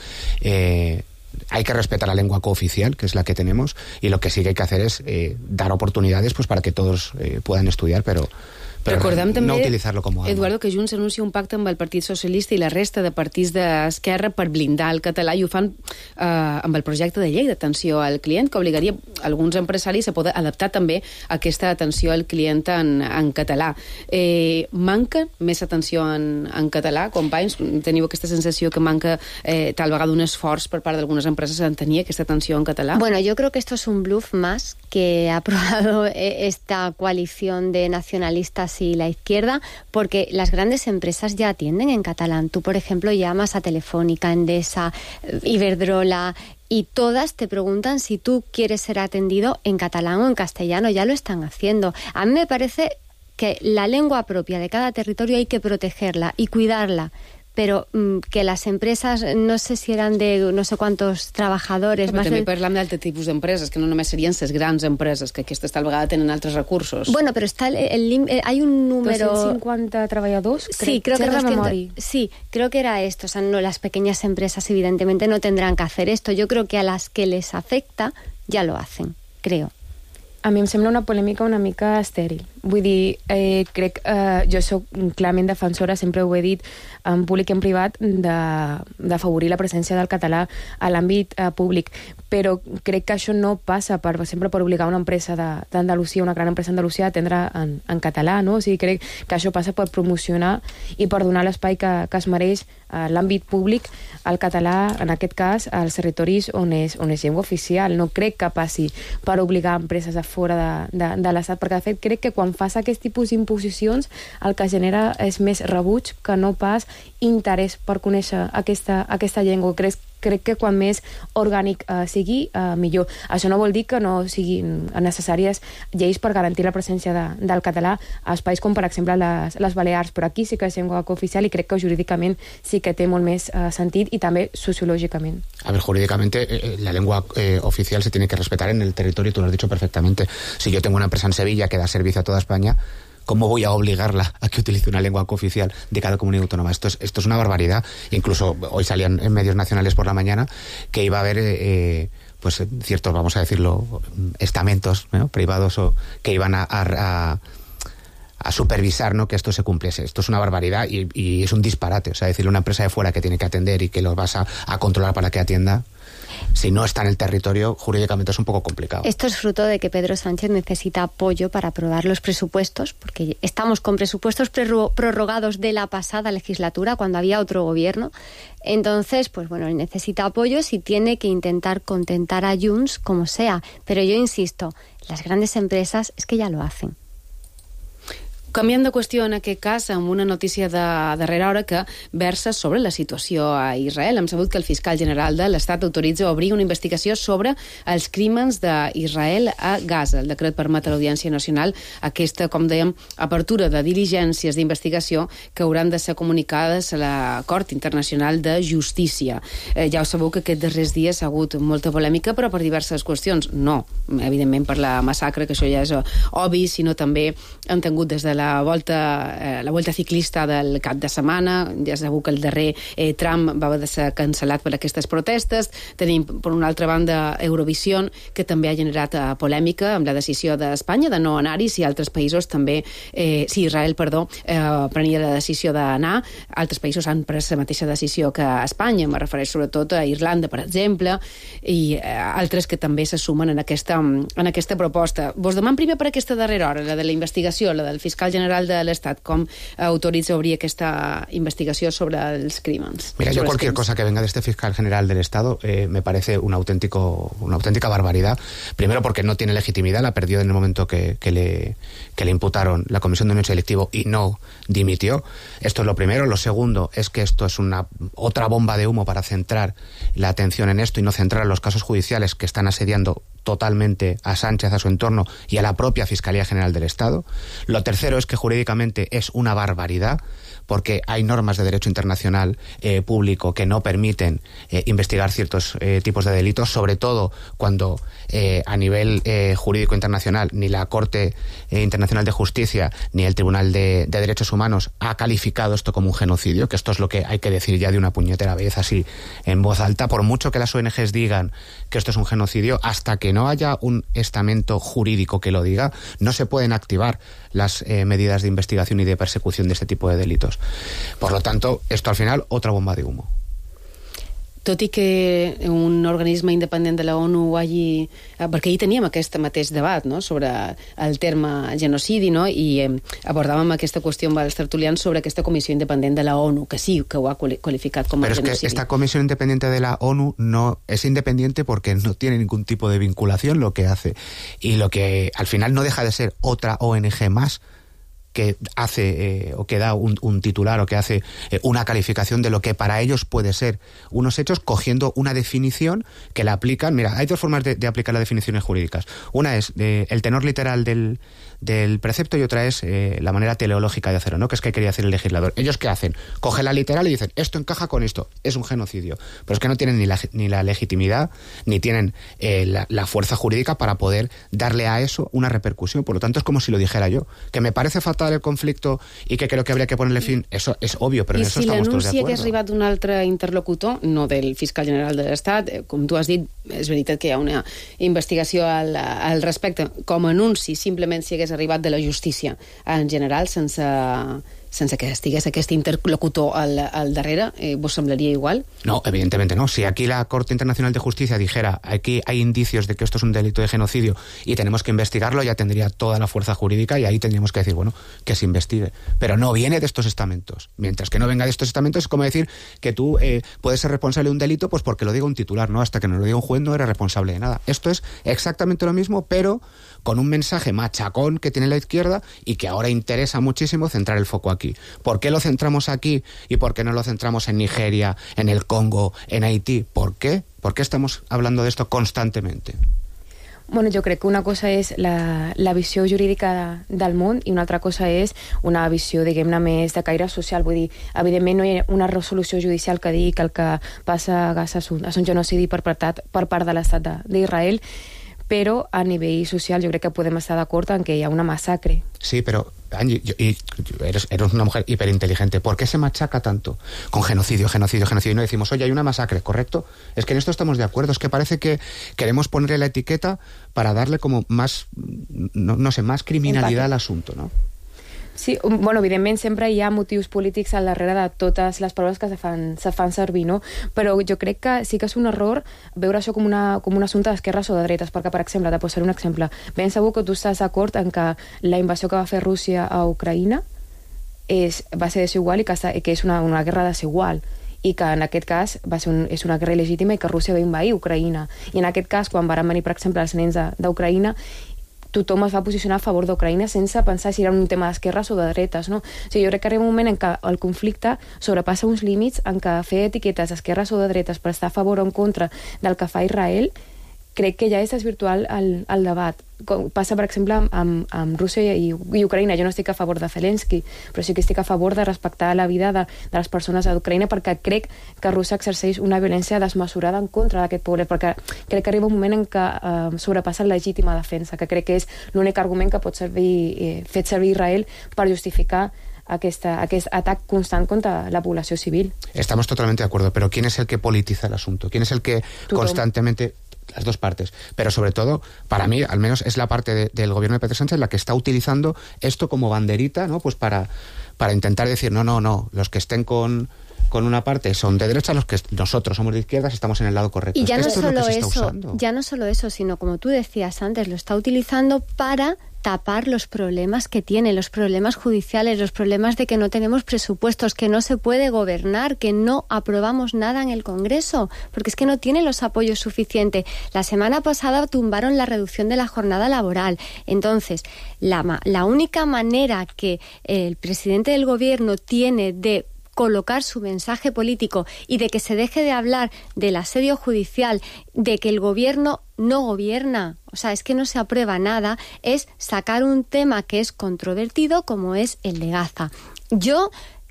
Hay que respetar la lengua cooficial, que es la que tenemos, y lo que sí que hay que hacer es dar oportunidades pues para que todos puedan estudiar, però recordem no també, utilitzar-lo com a arma. Eduardo, que Junts anuncia un pacte amb el Partit Socialista i la resta de partits d'esquerra per blindar el català, i ho fan amb el projecte de llei d'atenció al client, que obligaria alguns empresaris a poder adaptar també aquesta atenció al client en català. Manca més atenció en català, companys? Teniu aquesta sensació que manca tal vegada un esforç per part d'algunes empreses en tenir aquesta atenció en català? Bueno, yo creo que esto es un bluff más que ha aprobado esta coalición de nacionalistas y la izquierda, porque las grandes empresas ya atienden en catalán. Tú, por ejemplo, llamas a Telefónica, Endesa, Iberdrola, y todas te preguntan si tú quieres ser atendido en catalán o en castellano. Ya lo están haciendo. A mí me parece que la lengua propia de cada territorio hay que protegerla y cuidarla, però que les empreses, no sé si eren de no sé quantos trabajadors... Però també parlem d'altre tipus d'empreses, que no només serien les grans empreses, que aquestes tal vegada tenen altres recursos. Bueno, però está hay un número... 250 treballadors? Sí, creo que 200, sí, creo que era esto. O sea, no, las pequeñas empresas evidentemente no tendrán que hacer esto. Yo creo que a las que les afecta ya lo hacen, creo. A mi em sembla una polèmica una mica estèril. Vull dir, crec jo soc clarament defensora, sempre ho he dit, en públic i en privat, d'afavorir la presència del català a l'àmbit públic, però crec que això no passa sempre per obligar una empresa d'Andalusia, una gran empresa d'Andalusia, a atendre en català, no? O sigui, crec que això passa per promocionar i per donar l'espai que es mereix a l'àmbit públic al català, en aquest cas, als territoris on és llengua oficial. No crec que passi per obligar empreses a fora de l'Estat, perquè de fet crec que quan fas aquest tipus d'imposicions el que genera és més rebuig que no pas interès per conèixer aquesta llengua. Crec crec que quan més orgànic sigui, millor. Això no vol dir que no siguin necessàries lleis per garantir la presència del català a espais com, per exemple, les Balears, però aquí sí que és llengua cooficial i crec que jurídicament sí que té molt més sentit y también sociológicamente. A ver, jurídicamente la lengua oficial se tiene que respetar en el territorio, tú lo has dicho perfectamente. Si yo tengo una empresa en Sevilla que da servicio a toda España, ¿cómo voy a obligarla a que utilice una lengua cooficial de cada comunidad autónoma? Esto es una barbaridad. Incluso hoy salían en medios nacionales por la mañana que iba a haber pues ciertos, vamos a decirlo, estamentos, ¿no?, privados o que iban a supervisar, ¿no?, que esto se cumpliese. Esto es una barbaridad y es un disparate. O sea, decirle a una empresa de fuera que tiene que atender y que los vas a controlar para que atienda, si no está en el territorio, jurídicamente es un poco complicado. Esto es fruto de que Pedro Sánchez necesita apoyo para aprobar los presupuestos, porque estamos con presupuestos prorrogados de la pasada legislatura, cuando había otro gobierno. Entonces, pues bueno, necesita apoyos y tiene que intentar contentar a Junts como sea. Pero yo insisto, las grandes empresas es que ya lo hacen. Canviant de qüestió en aquest cas, amb una notícia de darrera hora que versa sobre la situació a Israel. Hem sabut que el fiscal general de l'Estat autoritza obrir una investigació sobre els crímens d'Israel a Gaza. El decret permet a l'Audiència Nacional aquesta, com dèiem, apertura de diligències d'investigació que hauran de ser comunicades a la Cort Internacional de Justícia. Ja ho sabeu que aquests darrers dies ha hagut molta polèmica, però per diverses qüestions. No, evidentment per la massacre, que això ja és obvi, sinó també han tingut des de la volta ciclista del cap de setmana. Ja sabeu que el darrer tram va haver de ser cancel·lat per aquestes protestes. Tenim, per una altra banda, Eurovision, que també ha generat polèmica amb la decisió d'Espanya de no anar-hi, si altres països també, si Israel, prenia la decisió d'anar. Altres països han pres la mateixa decisió que Espanya, me refereix sobretot a Irlanda, per exemple, i altres que també se sumen en aquesta proposta. Vos demano primer per aquesta darrera hora, la de la investigació, la del fiscal general de l'Estat, com autoritza obrir aquesta investigació sobre els crímens. Mira, yo cualquier cosa que venga de este fiscal general del Estado me parece una auténtica barbaridad. Primero porque no tiene legitimidad, la perdió en el momento que le imputaron la comisión de un hecho delictivo y no dimitió. Esto es lo primero. Lo segundo es que esto es otra bomba de humo para centrar la atención en esto y no centrar los casos judiciales que están asediando totalmente a Sánchez, a su entorno y a la propia Fiscalía General del Estado. Lo tercero es que jurídicamente es una barbaridad, porque hay normas de derecho internacional público que no permiten investigar ciertos tipos de delitos, sobre todo cuando a nivel jurídico internacional ni la Corte Internacional de Justicia ni el Tribunal de Derechos Humanos ha calificado esto como un genocidio, que esto es lo que hay que decir ya de una puñetera vez, así en voz alta. Por mucho que las ONGs digan que esto es un genocidio, hasta que no haya un estamento jurídico que lo diga, no se pueden activar las medidas de investigación y de persecución de este tipo de delitos. Por lo tanto, esto al final, otra bomba de humo. Tot i que un organisme independent de la ONU hagi... Perquè ahir teníem aquest mateix debat, no?, sobre el terme genocidi, no?, i abordàvem aquesta qüestió amb els tertulians sobre aquesta comissió independent de la ONU, que sí que ho ha qualificat com a genocidi. Pero es que esta comisión independiente de la ONU no es independiente porque no tiene ningún tipo de vinculación lo que hace. Y lo que al final no deja de ser otra ONG más que hace o que da un titular o que hace una calificación de lo que para ellos puede ser unos hechos, cogiendo una definición que la aplican. Mira, hay dos formas de aplicar las definiciones jurídicas. Una es el tenor literal del precepto y otra es la manera teleológica de hacerlo, ¿no?, que es que quería hacer el legislador. ¿Ellos qué hacen? Cogen la literal y dicen, esto encaja con esto, es un genocidio. Pero es que no tienen ni la legitimidad, ni tienen la fuerza jurídica para poder darle a eso una repercusión. Por lo tanto, es como si lo dijera yo. Que me parece fatal el conflicto i que creo que habría que ponerle fin, eso es obvio, però en eso estamos todos de acuerdo. I si l'anunci hagués arribat d'un altre interlocutor, no del fiscal general de l'Estat, com tu has dit, és veritat que hi ha una investigació al respecte, com a anunci simplement si hagués arribat de la justícia en general, sense que estigués aquest interlocutor al darrere, ¿vos semblaría igual? No, evidentemente no. Si aquí la Corte Internacional de Justicia dijera aquí hay indicios de que esto es un delito de genocidio y tenemos que investigarlo, ya tendría toda la fuerza jurídica y ahí tendríamos que decir, bueno, que se investigue. Pero no viene de estos estamentos. Mientras que no venga de estos estamentos, es como decir que tú puedes ser responsable de un delito pues porque lo diga un titular, ¿no? Hasta que no lo diga un juez no eres responsable de nada. Esto es exactamente lo mismo, pero con un mensaje machacón que tiene la izquierda y que ahora interesa muchísimo centrar el foco aquí. aquí. ¿Por qué lo centramos aquí y por qué no lo centramos en Nigeria, en el Congo, en Haití? ¿Por qué? ¿Por qué estamos hablando de esto constantemente? Bueno, jo crec que una cosa és la visió jurídica del món i una altra cosa és una visió, diguem-ne, més de caire social. Vull dir, evidentment no hi ha una resolució judicial que digui que el que passa a Gaza és un genocidi perpetrat per part de l'estat d'Israel, però a nivell social jo crec que podem estar d'acord en que hi ha una massacre. Sí, pero Angie, eres una mujer hiperinteligente. ¿Por qué se machaca tanto con genocidio? Y no decimos, oye, hay una masacre, ¿correcto? Es que en esto estamos de acuerdo. Es que parece que queremos ponerle la etiqueta para darle como más, no sé, más criminalidad al asunto, ¿no? Sí, bueno, evidentment sempre hi ha motius polítics al darrere de totes les paraules que se fan servir, no? Però jo crec que sí que és un error veure això com un assumpte d'esquerres o de dretes, perquè, per exemple, te posaré un exemple. Ben segur que tu estàs d'acord en que la invasió que va fer Rússia a Ucraïna va ser desigual i que és una guerra desigual, i que en aquest cas és una guerra il·legítima i que Rússia va invair Ucraïna. I en aquest cas, quan van venir, per exemple, els nens d'Ucraïna, tothom es va posicionar a favor d'Ucraïna sense pensar si era un tema d'esquerres o de dretes, no? O sigui, jo crec que arriba un moment en què el conflicte sobrepassa uns límits en què fer etiquetes d'esquerres o de dretes per estar a favor o en contra del que fa Israel crec que ja és desvirtual el debat. Passa, per exemple, amb Rússia i Ucraïna. Jo no estic a favor de Zelensky, però sí que estic a favor de respectar la vida de les persones d'Ucraïna, perquè crec que Rússia exerceix una violència desmesurada en contra d'aquest poble, perquè crec que arriba un moment en què sobrepassa la legítima defensa, que crec que és l'únic argument que pot fer servir Israel per justificar aquest atac constant contra la població civil. Estamos totalmente de acuerdo, pero ¿quién es el que politiza el asunto? ¿Quién es el que constantemente... Las dos partes, pero sobre todo, para mí, al menos es la parte del gobierno de Pedro Sánchez la que está utilizando esto como banderita, ¿no? Pues para intentar decir, no, los que estén con una parte son de derecha, los que nosotros somos de izquierdas estamos en el lado correcto. Y ya no solo eso, sino como tú decías antes, lo está utilizando para tapar los problemas que tiene, los problemas judiciales, los problemas de que no tenemos presupuestos, que no se puede gobernar, que no aprobamos nada en el Congreso, porque es que no tiene los apoyos suficientes. La semana pasada tumbaron la reducción de la jornada laboral. Entonces, la única manera que el presidente del gobierno tiene de colocar su mensaje político y de que se deje de hablar del asedio judicial, de que el gobierno no gobierna, o sea, es que no se aprueba nada, es sacar un tema que es controvertido como es el de Gaza. Yo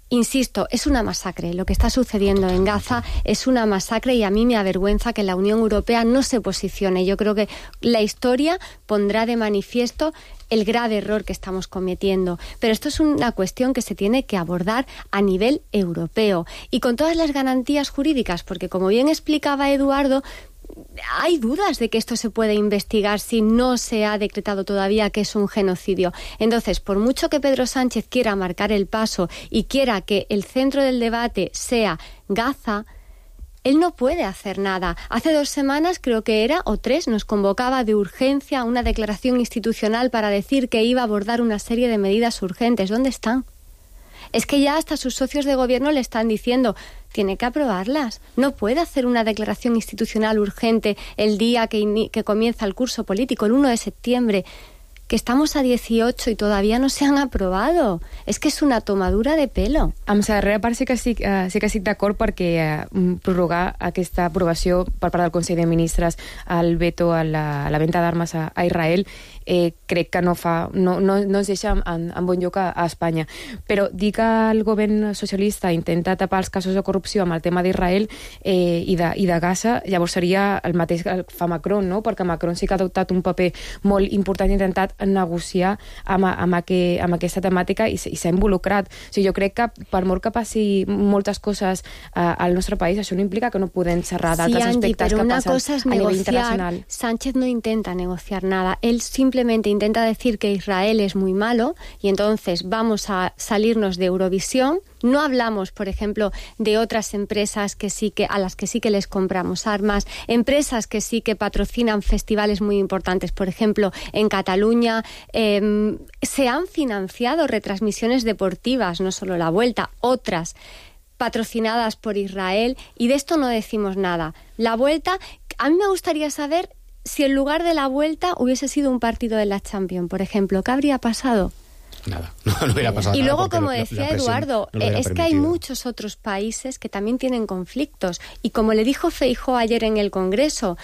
insisto, es una masacre. Lo que está sucediendo en Gaza es una masacre y a mí me avergüenza que la Unión Europea no se posicione. Yo creo que la historia pondrá de manifiesto el grave error que estamos cometiendo. Pero esto es una cuestión que se tiene que abordar a nivel europeo y con todas las garantías jurídicas, porque como bien explicaba Eduardo, hay dudas de que esto se puede investigar si no se ha decretado todavía que es un genocidio. Entonces, por mucho que Pedro Sánchez quiera marcar el paso y quiera que el centro del debate sea Gaza, él no puede hacer nada. Hace 2 semanas, creo que era, o 3, nos convocaba de urgencia a una declaración institucional para decir que iba a abordar una serie de medidas urgentes. ¿Dónde están? Es que ya hasta sus socios de gobierno le están diciendo, tiene que aprobarlas. No puede hacer una declaración institucional urgente el día que comienza el curso político, el 1 de septiembre, que estamos a 18 i todavía no se han aprobado. És que és una tomadura de pelo. Amb la darrera part sí que estic d'acord perquè prorrogar aquesta aprovació per part del Consell de Ministres al veto a la venda d'armes a Israel crec que no ens deixa en bon lloc a Espanya. Però dir que el govern socialista intenta tapar els casos de corrupció amb el tema d'Israel i de Gaza, llavors seria el mateix que fa Macron, no? Perquè Macron sí que ha adoptat un paper molt important i intentat negociar amb aquesta temàtica i s'ha involucrat. O sigui, jo crec que per molt que passi moltes coses al nostre país, això no implica que no podem xerrar d'altres aspectes que passen a nivell internacional. Sánchez no intenta negociar nada. Él simplemente intenta decir que Israel es muy malo y entonces vamos a salirnos de Eurovisión. No hablamos, por ejemplo, de otras empresas a las que sí que les compramos armas, empresas que sí que patrocinan festivales muy importantes. Por ejemplo, en Cataluña se han financiado retransmisiones deportivas, no solo la Vuelta, otras patrocinadas por Israel, y de esto no decimos nada. La Vuelta, a mí me gustaría saber si en lugar de la Vuelta hubiese sido un partido de la Champions, por ejemplo, ¿qué habría pasado? Nada, no hubiera pasado y nada. luego, como decía Eduardo, es que hay muchos otros países que también tienen conflictos. Y como le dijo Feijóo ayer en el Congreso,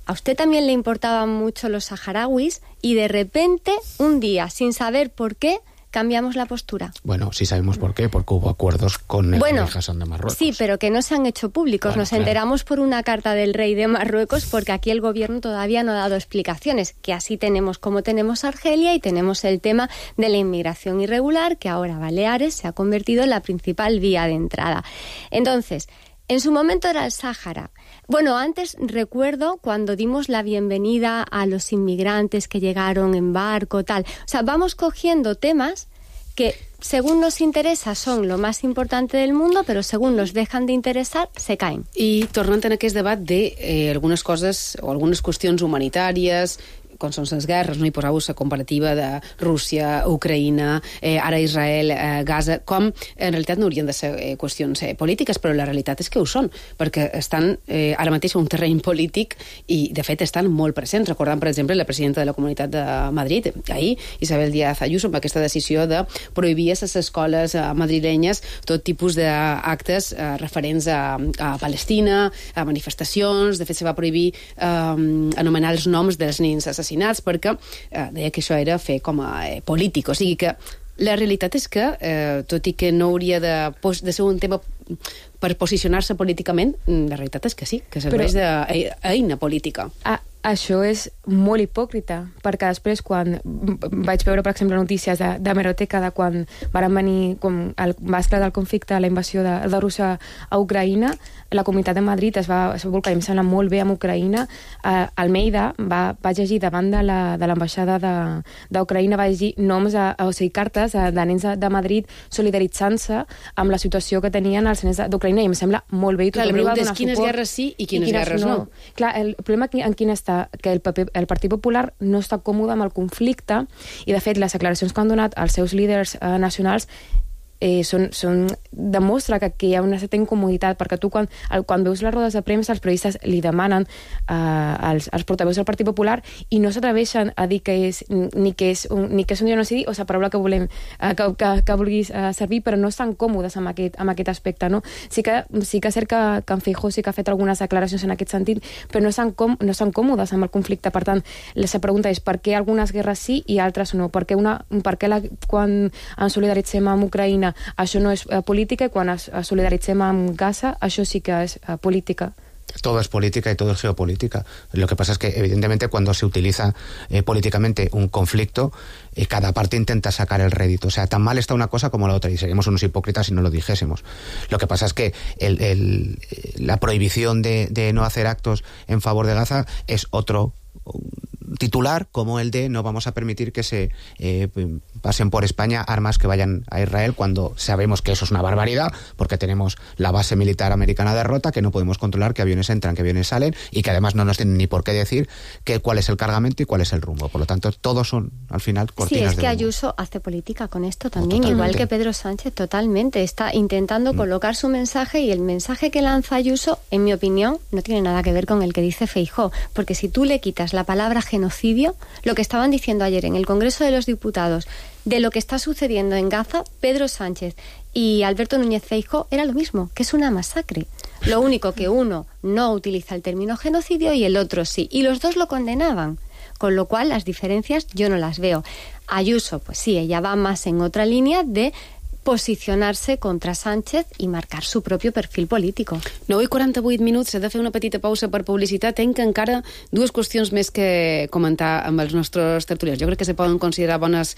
a usted también le importaban mucho los saharauis y de repente, un día, sin saber por qué, cambiamos la postura. Bueno, sí sabemos por qué, porque hubo acuerdos con el rey Hassan de Marruecos. Sí, pero que no se han hecho públicos. Bueno, nos enteramos por una carta del rey de Marruecos, porque aquí el gobierno todavía no ha dado explicaciones, que así tenemos como tenemos Argelia y tenemos el tema de la inmigración irregular, que ahora Baleares se ha convertido en la principal vía de entrada. Entonces, en su momento era el Sáhara. Bueno, antes recuerdo cuando dimos la bienvenida a los inmigrantes que llegaron en barco, tal. O sea, vamos cogiendo temas que según nos interessa son lo más importante del mundo, però según nos dejan de interessar, se caen. I tornant en aquest debat de algunes coses o algunes qüestions humanitàries, com són les guerres, no hi posau la comparativa de Rússia, Ucraïna, ara Israel, Gaza, com en realitat no haurien de ser qüestions polítiques, però la realitat és que ho són, perquè estan ara mateix en un terreny polític i, de fet, estan molt presents. Recordant, per exemple, la presidenta de la Comunitat de Madrid, ahir, Isabel Díaz Ayuso, amb aquesta decisió de prohibir a les escoles madrilenyes tot tipus d'actes referents a Palestina, a manifestacions. De fet, se va prohibir anomenar els noms dels nens assassinats perquè deia que això era fer com a polític. O sigui que la realitat és que, tot i que no hauria de ser un tema per posicionar-se políticament, la realitat és que sí, que serveix d'eina política. Això és molt hipòcrita, perquè després, quan vaig veure, per exemple, notícies d'hemeroteca de quan van venir, va esclatar el conflicte, la invasió de Rússia a Ucraïna, la Comunitat de Madrid es va volcar, i em sembla molt bé, amb Ucraïna. Almeida va llegir davant de l'ambaixada d'Ucraïna, va llegir noms, o sigui, cartes de nens de Madrid solidaritzant-se amb la situació que tenien els nens d'Ucraïna, i em sembla molt bé. Clar, la pregunta és quines guerres sí i quines guerres no. Clar, el problema en quin està? Que el Partit Popular no està còmode amb el conflicte, i de fet les declaracions que han donat els seus líders nacionals demostra que hi ha una certa incomoditat, perquè tu quan veus les rodes de premsa els periodistes li demanen als portaveus del Partit Popular i no s'atreveixen a dir que és un genocidi, o la paraula que volem que vulguis servir, però no estan còmodes amb aquest aspecte, no? Sí que és cert que en Feijóo sí que ha fet algunes declaracions en aquest sentit, però no estan còmodes amb el conflicte. Per tant, la pregunta és per què algunes guerres sí i altres no? Per què quan ens solidaritzem amb Ucraïna això no es política, y cuando solidaritzem amb Gaza, això sí que es política. Todo es política y todo es geopolítica. Lo que pasa es que, evidentemente, cuando se utiliza políticamente un conflicto, cada parte intenta sacar el rédito. O sea, tan mal está una cosa como la otra, y seríamos unos hipócritas si no lo dijésemos. Lo que pasa es que la prohibición de no hacer actos en favor de Gaza es otro titular, como el de no vamos a permitir que se pasen por España armas que vayan a Israel, cuando sabemos que eso es una barbaridad, porque tenemos la base militar americana de Rota, que no podemos controlar qué aviones entran, qué aviones salen, y que además no nos tienen ni por qué decir cuál es el cargamento y cuál es el rumbo. Por lo tanto, todos son, al final, cortinas de humo. Sí, es que Ayuso hace política con esto también, igual que Pedro Sánchez, totalmente. Está intentando colocar su mensaje, y el mensaje que lanza Ayuso, en mi opinión, no tiene nada que ver con el que dice Feijóo, porque si tú le quitas la palabra genocidio, lo que estaban diciendo ayer en el Congreso de los Diputados de lo que está sucediendo en Gaza, Pedro Sánchez y Alberto Núñez Feijóo, era lo mismo, que es una masacre. Lo único que uno no utiliza el término genocidio y el otro sí, y los dos lo condenaban, con lo cual las diferencias yo no las veo. Ayuso, pues sí, ella va más en otra línea de posicionar-se contra Sánchez i marcar su propi perfil polític. 9:48 minuts, s'ha de fer una petita pausa per publicitat. Tenc encara dues qüestions més que comentar amb els nostres tertulians. Jo crec que se poden considerar bones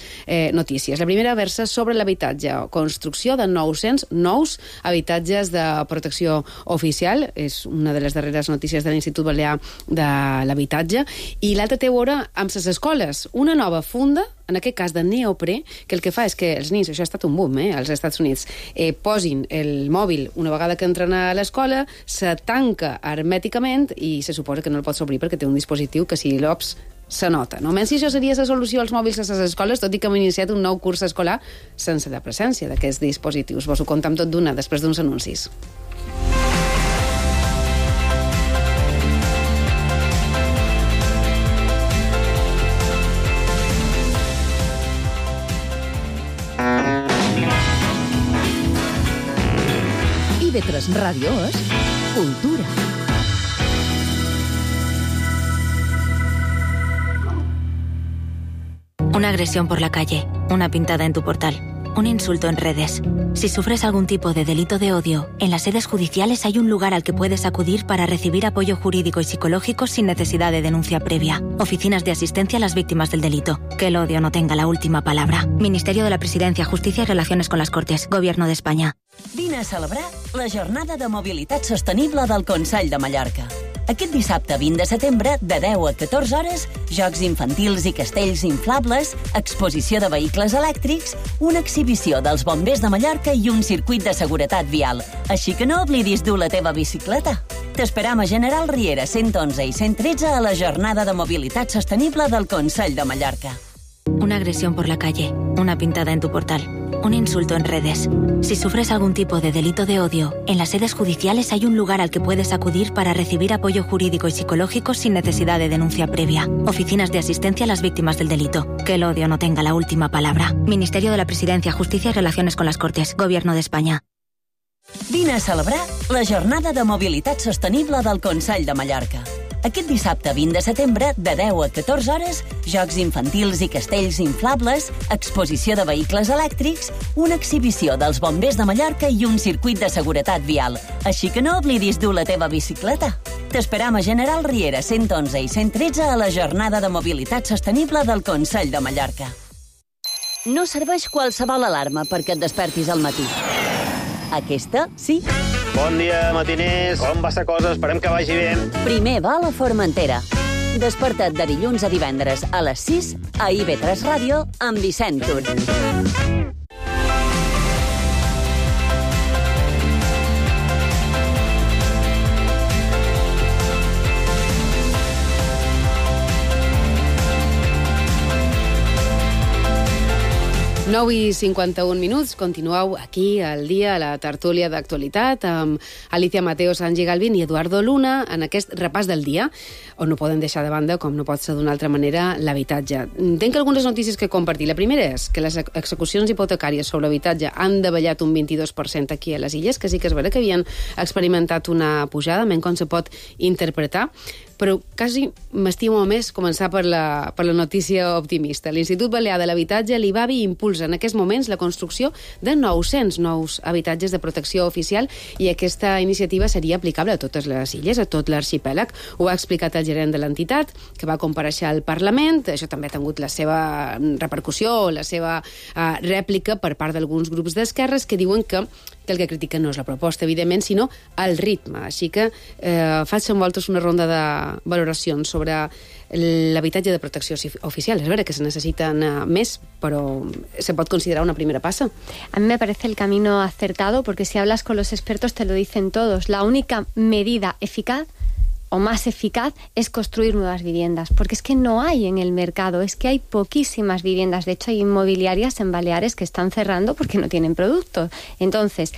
notícies. La primera versa sobre l'habitatge, construcció de 900 nous habitatges de protecció oficial. És una de les darreres notícies de l'Institut Balear de l'Habitatge. I l'altra té a veure amb les escoles. Una nova funda, en aquest cas de neoprè, que el que fa és que els nens, això ha estat un boom als Estats Units, posin el mòbil una vegada que entren a l'escola, se tanca hermèticament i se suposa que no el pots obrir perquè té un dispositiu que si l'ops se nota. No? Menys si això seria la solució als mòbils a les escoles, tot i que hem iniciat un nou curs escolar sense la presència d'aquests dispositius. Vos ho contam tot d'una després d'uns anuncis. IB3 Ràdio és cultura. Una agresión por la calle, una pintada en tu portal, un insulto en redes. Si sufres algún tipo de delito de odio, en las sedes judiciales hay un lugar al que puedes acudir para recibir apoyo jurídico y psicológico sin necesidad de denuncia previa. Oficinas de asistencia a las víctimas del delito. Que el odio no tenga la última palabra. Ministerio de la Presidencia, Justicia y Relaciones con las Cortes. Gobierno de España. Vine a celebrar la Jornada de Mobilitat Sostenible del Consell de Mallorca. Aquest dissabte 20 de setembre, de 10 a 14 hores, jocs infantils i castells inflables, exposició de vehicles elèctrics, una exhibició dels bombers de Mallorca i un circuit de seguretat vial. Així que no oblidis dur la teva bicicleta. T'esperam a General Riera 111 i 113 a la Jornada de Mobilitat Sostenible del Consell de Mallorca. Una agresión por la calle, una pintada en tu portal, un insulto en redes. Si sufres algún tipo de delito de odio, en las sedes judiciales hay un lugar al que puedes acudir para recibir apoyo jurídico y psicológico sin necesidad de denuncia previa. Oficinas de asistencia a las víctimas del delito. Que el odio no tenga la última palabra. Ministerio de la Presidencia, Justicia y Relaciones con las Cortes. Gobierno de España. Vine a celebrar la Jornada de Mobilitat Sostenible del Consell de Mallorca. Aquest dissabte 20 de setembre, de 10 a 14 hores, jocs infantils i castells inflables, exposició de vehicles elèctrics, una exhibició dels bombers de Mallorca i un circuit de seguretat vial. Així que no oblidis dur la teva bicicleta. T'esperam a General Riera 111 i 113 a la Jornada de Mobilitat Sostenible del Consell de Mallorca. No serveix qualsevol alarma perquè et despertis al matí. Aquesta, sí. Bon dia, matiners. Com va la cosa? Esperem que vagi bé. Primer va a la Formentera. Desperta't de dilluns a divendres a les 6 a IB3 Ràdio amb Vicent Tur. 9:51, continueu aquí al dia, a la tertúlia d'actualitat, amb Alicia Mateo, Sanji Galvin i Eduardo Luna, en aquest repàs del dia, on no podem deixar de banda, com no pot ser d'una altra manera, l'habitatge. Tinc algunes notícies que compartir. La primera és que les execucions hipotecàries sobre l'habitatge han davallat un 22% aquí a les Illes, que sí que és vera que havien experimentat una pujada, menys com se pot interpretar, però quasi m'estimo més començar per la notícia optimista. L'Institut Balear de l'Habitatge, l'IBABI, impulsa en aquests moments la construcció de 900 nous habitatges de protecció oficial i aquesta iniciativa seria aplicable a totes les illes, a tot l'arxipèlag. Ho ha explicat el gerent de l'entitat, que va comparèixer al Parlament. Això també ha tingut la seva repercussió, la seva rèplica per part d'alguns grups d'esquerres que diuen que el que critiquen no és la proposta, evidentment, sinó el ritme. Així que faig amb vosaltres una ronda de valoracions sobre l'habitatge de protecció oficial. Es verdad que se necesitan més, pero se puede considerar una primera passa. A mí me parece el camino acertado, porque si hablas con los expertos te lo dicen todos. La única medida eficaz o más eficaz es construir nuevas viviendas, porque es que no hay en el mercado, es que hay poquísimas viviendas. De hecho, hay inmobiliarias en Baleares que están cerrando porque no tienen productos. Entonces,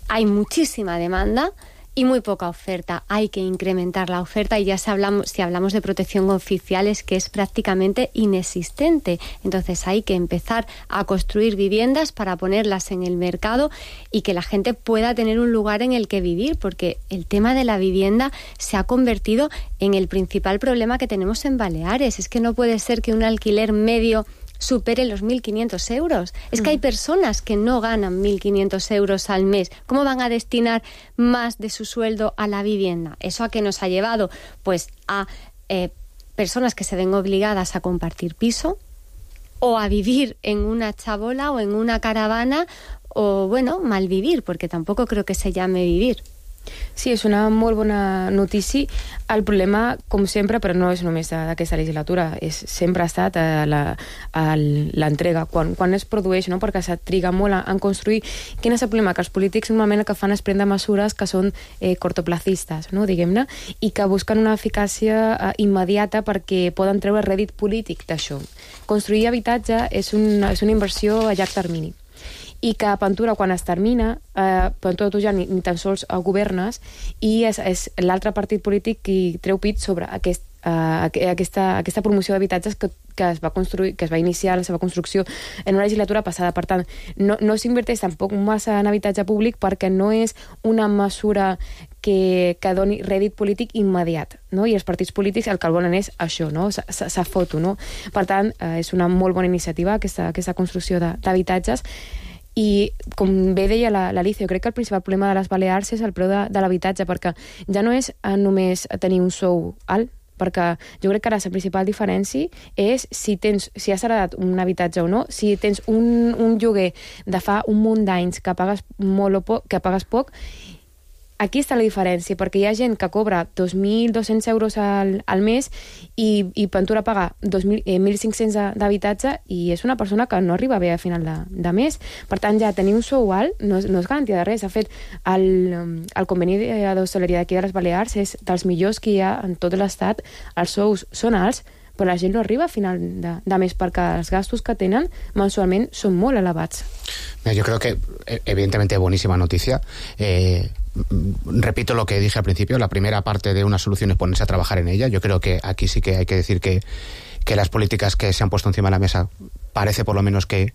hay muchísima demanda y muy poca oferta. Hay que incrementar la oferta y si hablamos de protección oficial es que es prácticamente inexistente. Entonces hay que empezar a construir viviendas para ponerlas en el mercado y que la gente pueda tener un lugar en el que vivir, porque el tema de la vivienda se ha convertido en el principal problema que tenemos en Baleares. Es que no puede ser que un alquiler medio supere los 1.500 euros. Es que hay personas que no ganan 1.500 euros al mes. ¿Cómo van a destinar más de su sueldo a la vivienda? ¿Eso a qué nos ha llevado? Pues a personas que se ven obligadas a compartir piso o a vivir en una chabola o en una caravana o, bueno, malvivir, porque tampoco creo que se llame vivir. Sí, és una molt bona notícia. El problema, com sempre, però no és només d'aquesta legislatura, sempre ha estat l'entrega. Quan es produeix, no? Perquè se triga molt en construir. Quin és el problema? Que els polítics normalment el que fan és prendre mesures que són cortoplacistes, no? Diguem-ne, i que busquen una eficàcia immediata perquè poden treure rèdit polític d'això. Construir habitatge és una inversió a llarg termini. I que Pantura, quan es termina, Pantura tu ja ni tan sols governes, i és l'altre partit polític qui treu pit sobre aquest aquesta promoció d'habitatges que es va construir, que es va iniciar la seva construcció en una legislatura passada. Per tant, no s'inverteix tampoc massa en habitatge públic perquè no és una mesura que doni rèdit polític immediat, no? I els partits polítics el que volen és això, no? Sa foto, no? Per tant, és una molt bona iniciativa aquesta construcció d'habitatges. I, com bé deia l'Alicia, jo crec que el principal problema de les Balears és el preu de l'habitatge, perquè ja no és només tenir un sou alt, perquè jo crec que ara la principal diferència és si has heredat un habitatge o no, si tens un lloguer de fa un munt d'anys que pagues molt o poc, que pagues poc. Aquí està la diferència, perquè hi ha gent que cobra 2.200 euros al mes i Pentura paga 1.500 d'habitatge i és una persona que no arriba bé a final de mes. Per tant, ja tenir un sou alt no és garantia de res. De fet, el conveni d'hostaleria d'aquí de les Balears és dels millors que hi ha en tot l'estat. Els sous són alts, però la gent no arriba a final de mes perquè els gastos que tenen mensualment són molt elevats. Yo creo que, evidentemente, buenísima noticia. Repito lo que dije al principio, la primera parte de una solución es ponerse a trabajar en ella. Yo creo que aquí sí que hay que decir que las políticas que se han puesto encima de la mesa parece por lo menos que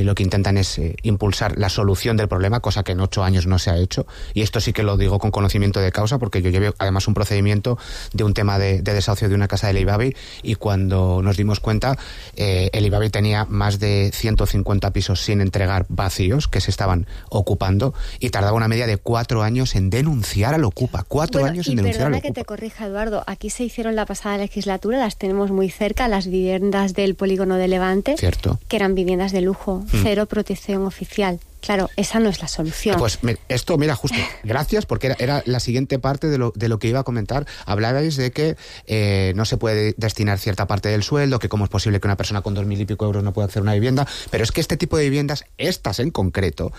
lo que intentan es impulsar la solución del problema, cosa que en 8 años no se ha hecho, y esto sí que lo digo con conocimiento de causa, porque yo llevé además un procedimiento de un tema de desahucio de una casa del Ibabi, y cuando nos dimos cuenta el Ibabi tenía más de 150 pisos sin entregar vacíos que se estaban ocupando, y tardaba una media de 4 años en denunciar al Ocupa. 4 años en denunciar al Ocupa. Perdona que te corrija, Eduardo, aquí se hicieron la pasada legislatura, las tenemos muy cerca, las viviendas del polígono de Levante. Cierto. Que eran viviendas de lujo, cero protección oficial. Claro, esa no es la solución. Pues esto, mira, justo, gracias, porque era la siguiente parte de lo que iba a comentar. Hablabais de que no se puede destinar cierta parte del sueldo, que cómo es posible que una persona con 2.000 y pico euros no pueda hacer una vivienda, pero es que este tipo de viviendas, estas en concreto,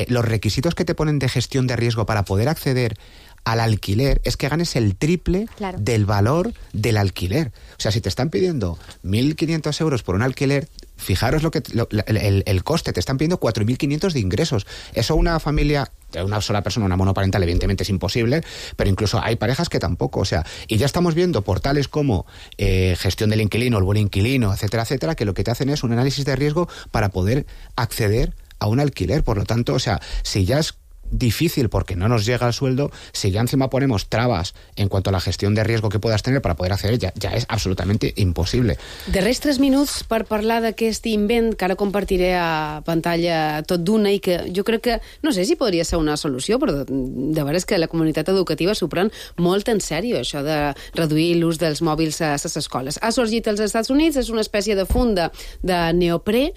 los requisitos que te ponen de gestión de riesgo para poder acceder al alquiler es que ganes el triple del valor del alquiler. O sea, si te están pidiendo 1.500 euros por un alquiler, fijaros el coste, te están pidiendo 4.500 de ingresos. Eso una familia de una sola persona, una monoparental, evidentemente es imposible, pero incluso hay parejas que tampoco. O sea, y ya estamos viendo portales como Gestión del Inquilino, El Buen Inquilino, etcétera, etcétera, que lo que te hacen es un análisis de riesgo para poder acceder a un alquiler. Por lo tanto, o sea, si ya es difícil porque no nos llega el sueldo, si ya encima ponemos trabas en cuanto a la gestión de riesgo que puedas tener para poder acceder, ja és absolutamente impossible. Darrers 3 minuts per parlar d'aquest invent que ara compartiré a pantalla tot d'una i que jo crec que, no sé si podria ser una solució, però de veres que la comunitat educativa s'ho pren molt en sèrio, això de reduir l'ús dels mòbils a les escoles. Ha sorgit als Estats Units, és una espècie de funda de neoprè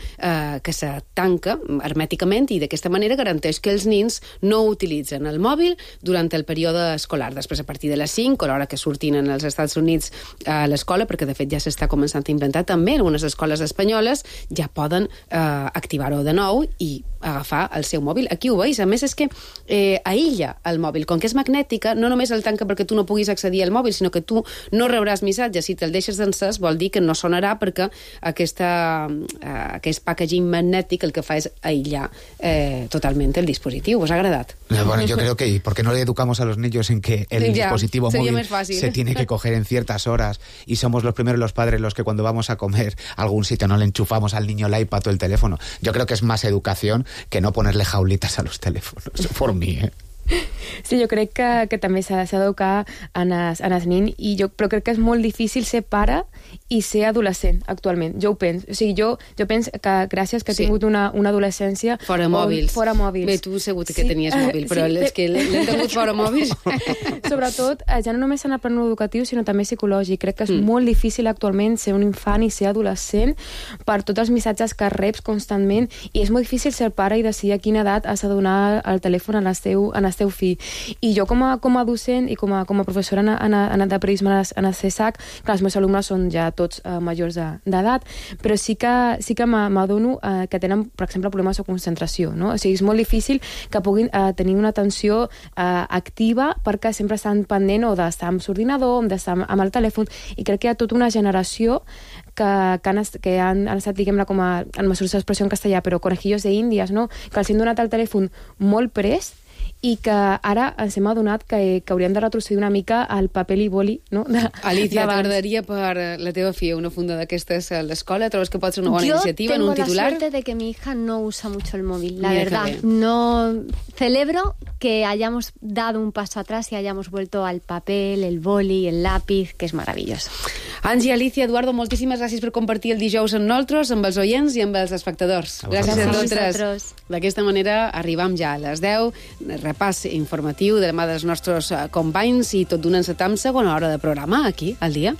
que se tanca hermèticament i d'aquesta manera garanteix que els nins no utilitzen el mòbil durant el període escolar. Després, a partir de les 5, a l'hora que surtin als Estats Units a l'escola, perquè de fet ja s'està començant a inventar també en algunes escoles espanyoles, ja poden activar-ho de nou i agafar el seu mòbil. Aquí ho veus. A més, és que aïlla el mòbil. Com que és magnètica, no només el tanca perquè tu no puguis accedir al mòbil, sinó que tu no rebràs missatges. Si te'l deixes d'encès, vol dir que no sonarà perquè aquest packaging magnètic el que fa és aïllar totalment el dispositiu. Us ha agradat? Bueno, yo creo que ¿por qué no le educamos a los niños en que el dispositivo móvil se tiene que coger en ciertas horas y somos los primeros los padres los que cuando vamos a comer a algún sitio no le enchufamos al niño el iPad o el teléfono? Yo creo que es más educación que no ponerle jaulitas a los teléfonos, por mí, Sí, jo crec que també s'ha d'educar en els nins, però crec que és molt difícil ser pare i ser adolescent actualment. Jo ho penso. O sigui, jo penso que gràcies que he tingut una adolescència... Fora mòbils. Fora mòbils. Bé, tu segur que tenies mòbil, però és que l'hem tingut fora mòbils. Sobretot, ja no només en el plano educatiu, sinó també psicològic. Crec que és molt difícil actualment ser un infant i ser adolescent per tots els missatges que reps constantment, i és molt difícil ser pare i decidir a quina edat has de donar el telèfon al teu fill. I jo com a docent i com a professora de periodisme en el CSAC, que els meus alumnes són ja tots majors d'edat, però sí que m'adono que tenen, per exemple, problemes de concentració, no? O sigui, és molt difícil que puguin tenir una atenció activa perquè sempre estan pendent o d'estar amb l'ordinador o d'estar amb el telèfon, i crec que hi ha tota una generació que han estat, diguem-ne, com en mesures d'expressió en castellà, però conejillos de índies, no? Que els han donat el telèfon molt prest i que ara ens hem adonat que hauríem de retrocedir una mica al paper i boli, no? Alicia, t'agradaria per la teva filla una funda d'aquestes a l'escola? Trobes que pot ser una bona iniciativa en un titular? Yo tengo la suerte de que mi hija no usa mucho el móvil, la Mira verdad. No celebro que hayamos dado un paso atrás y hayamos vuelto al papel, el boli, el lápiz, que es maravilloso. Angie, Alicia, Eduardo, moltíssimes gràcies per compartir el dijous amb nosaltres, amb els oients i amb els espectadors. Gràcies a totes. D'aquesta manera arribam ja a les 10, repàs informatiu de la mà dels nostres companys i tot donant-se amb segona hora de programa aquí, al dia.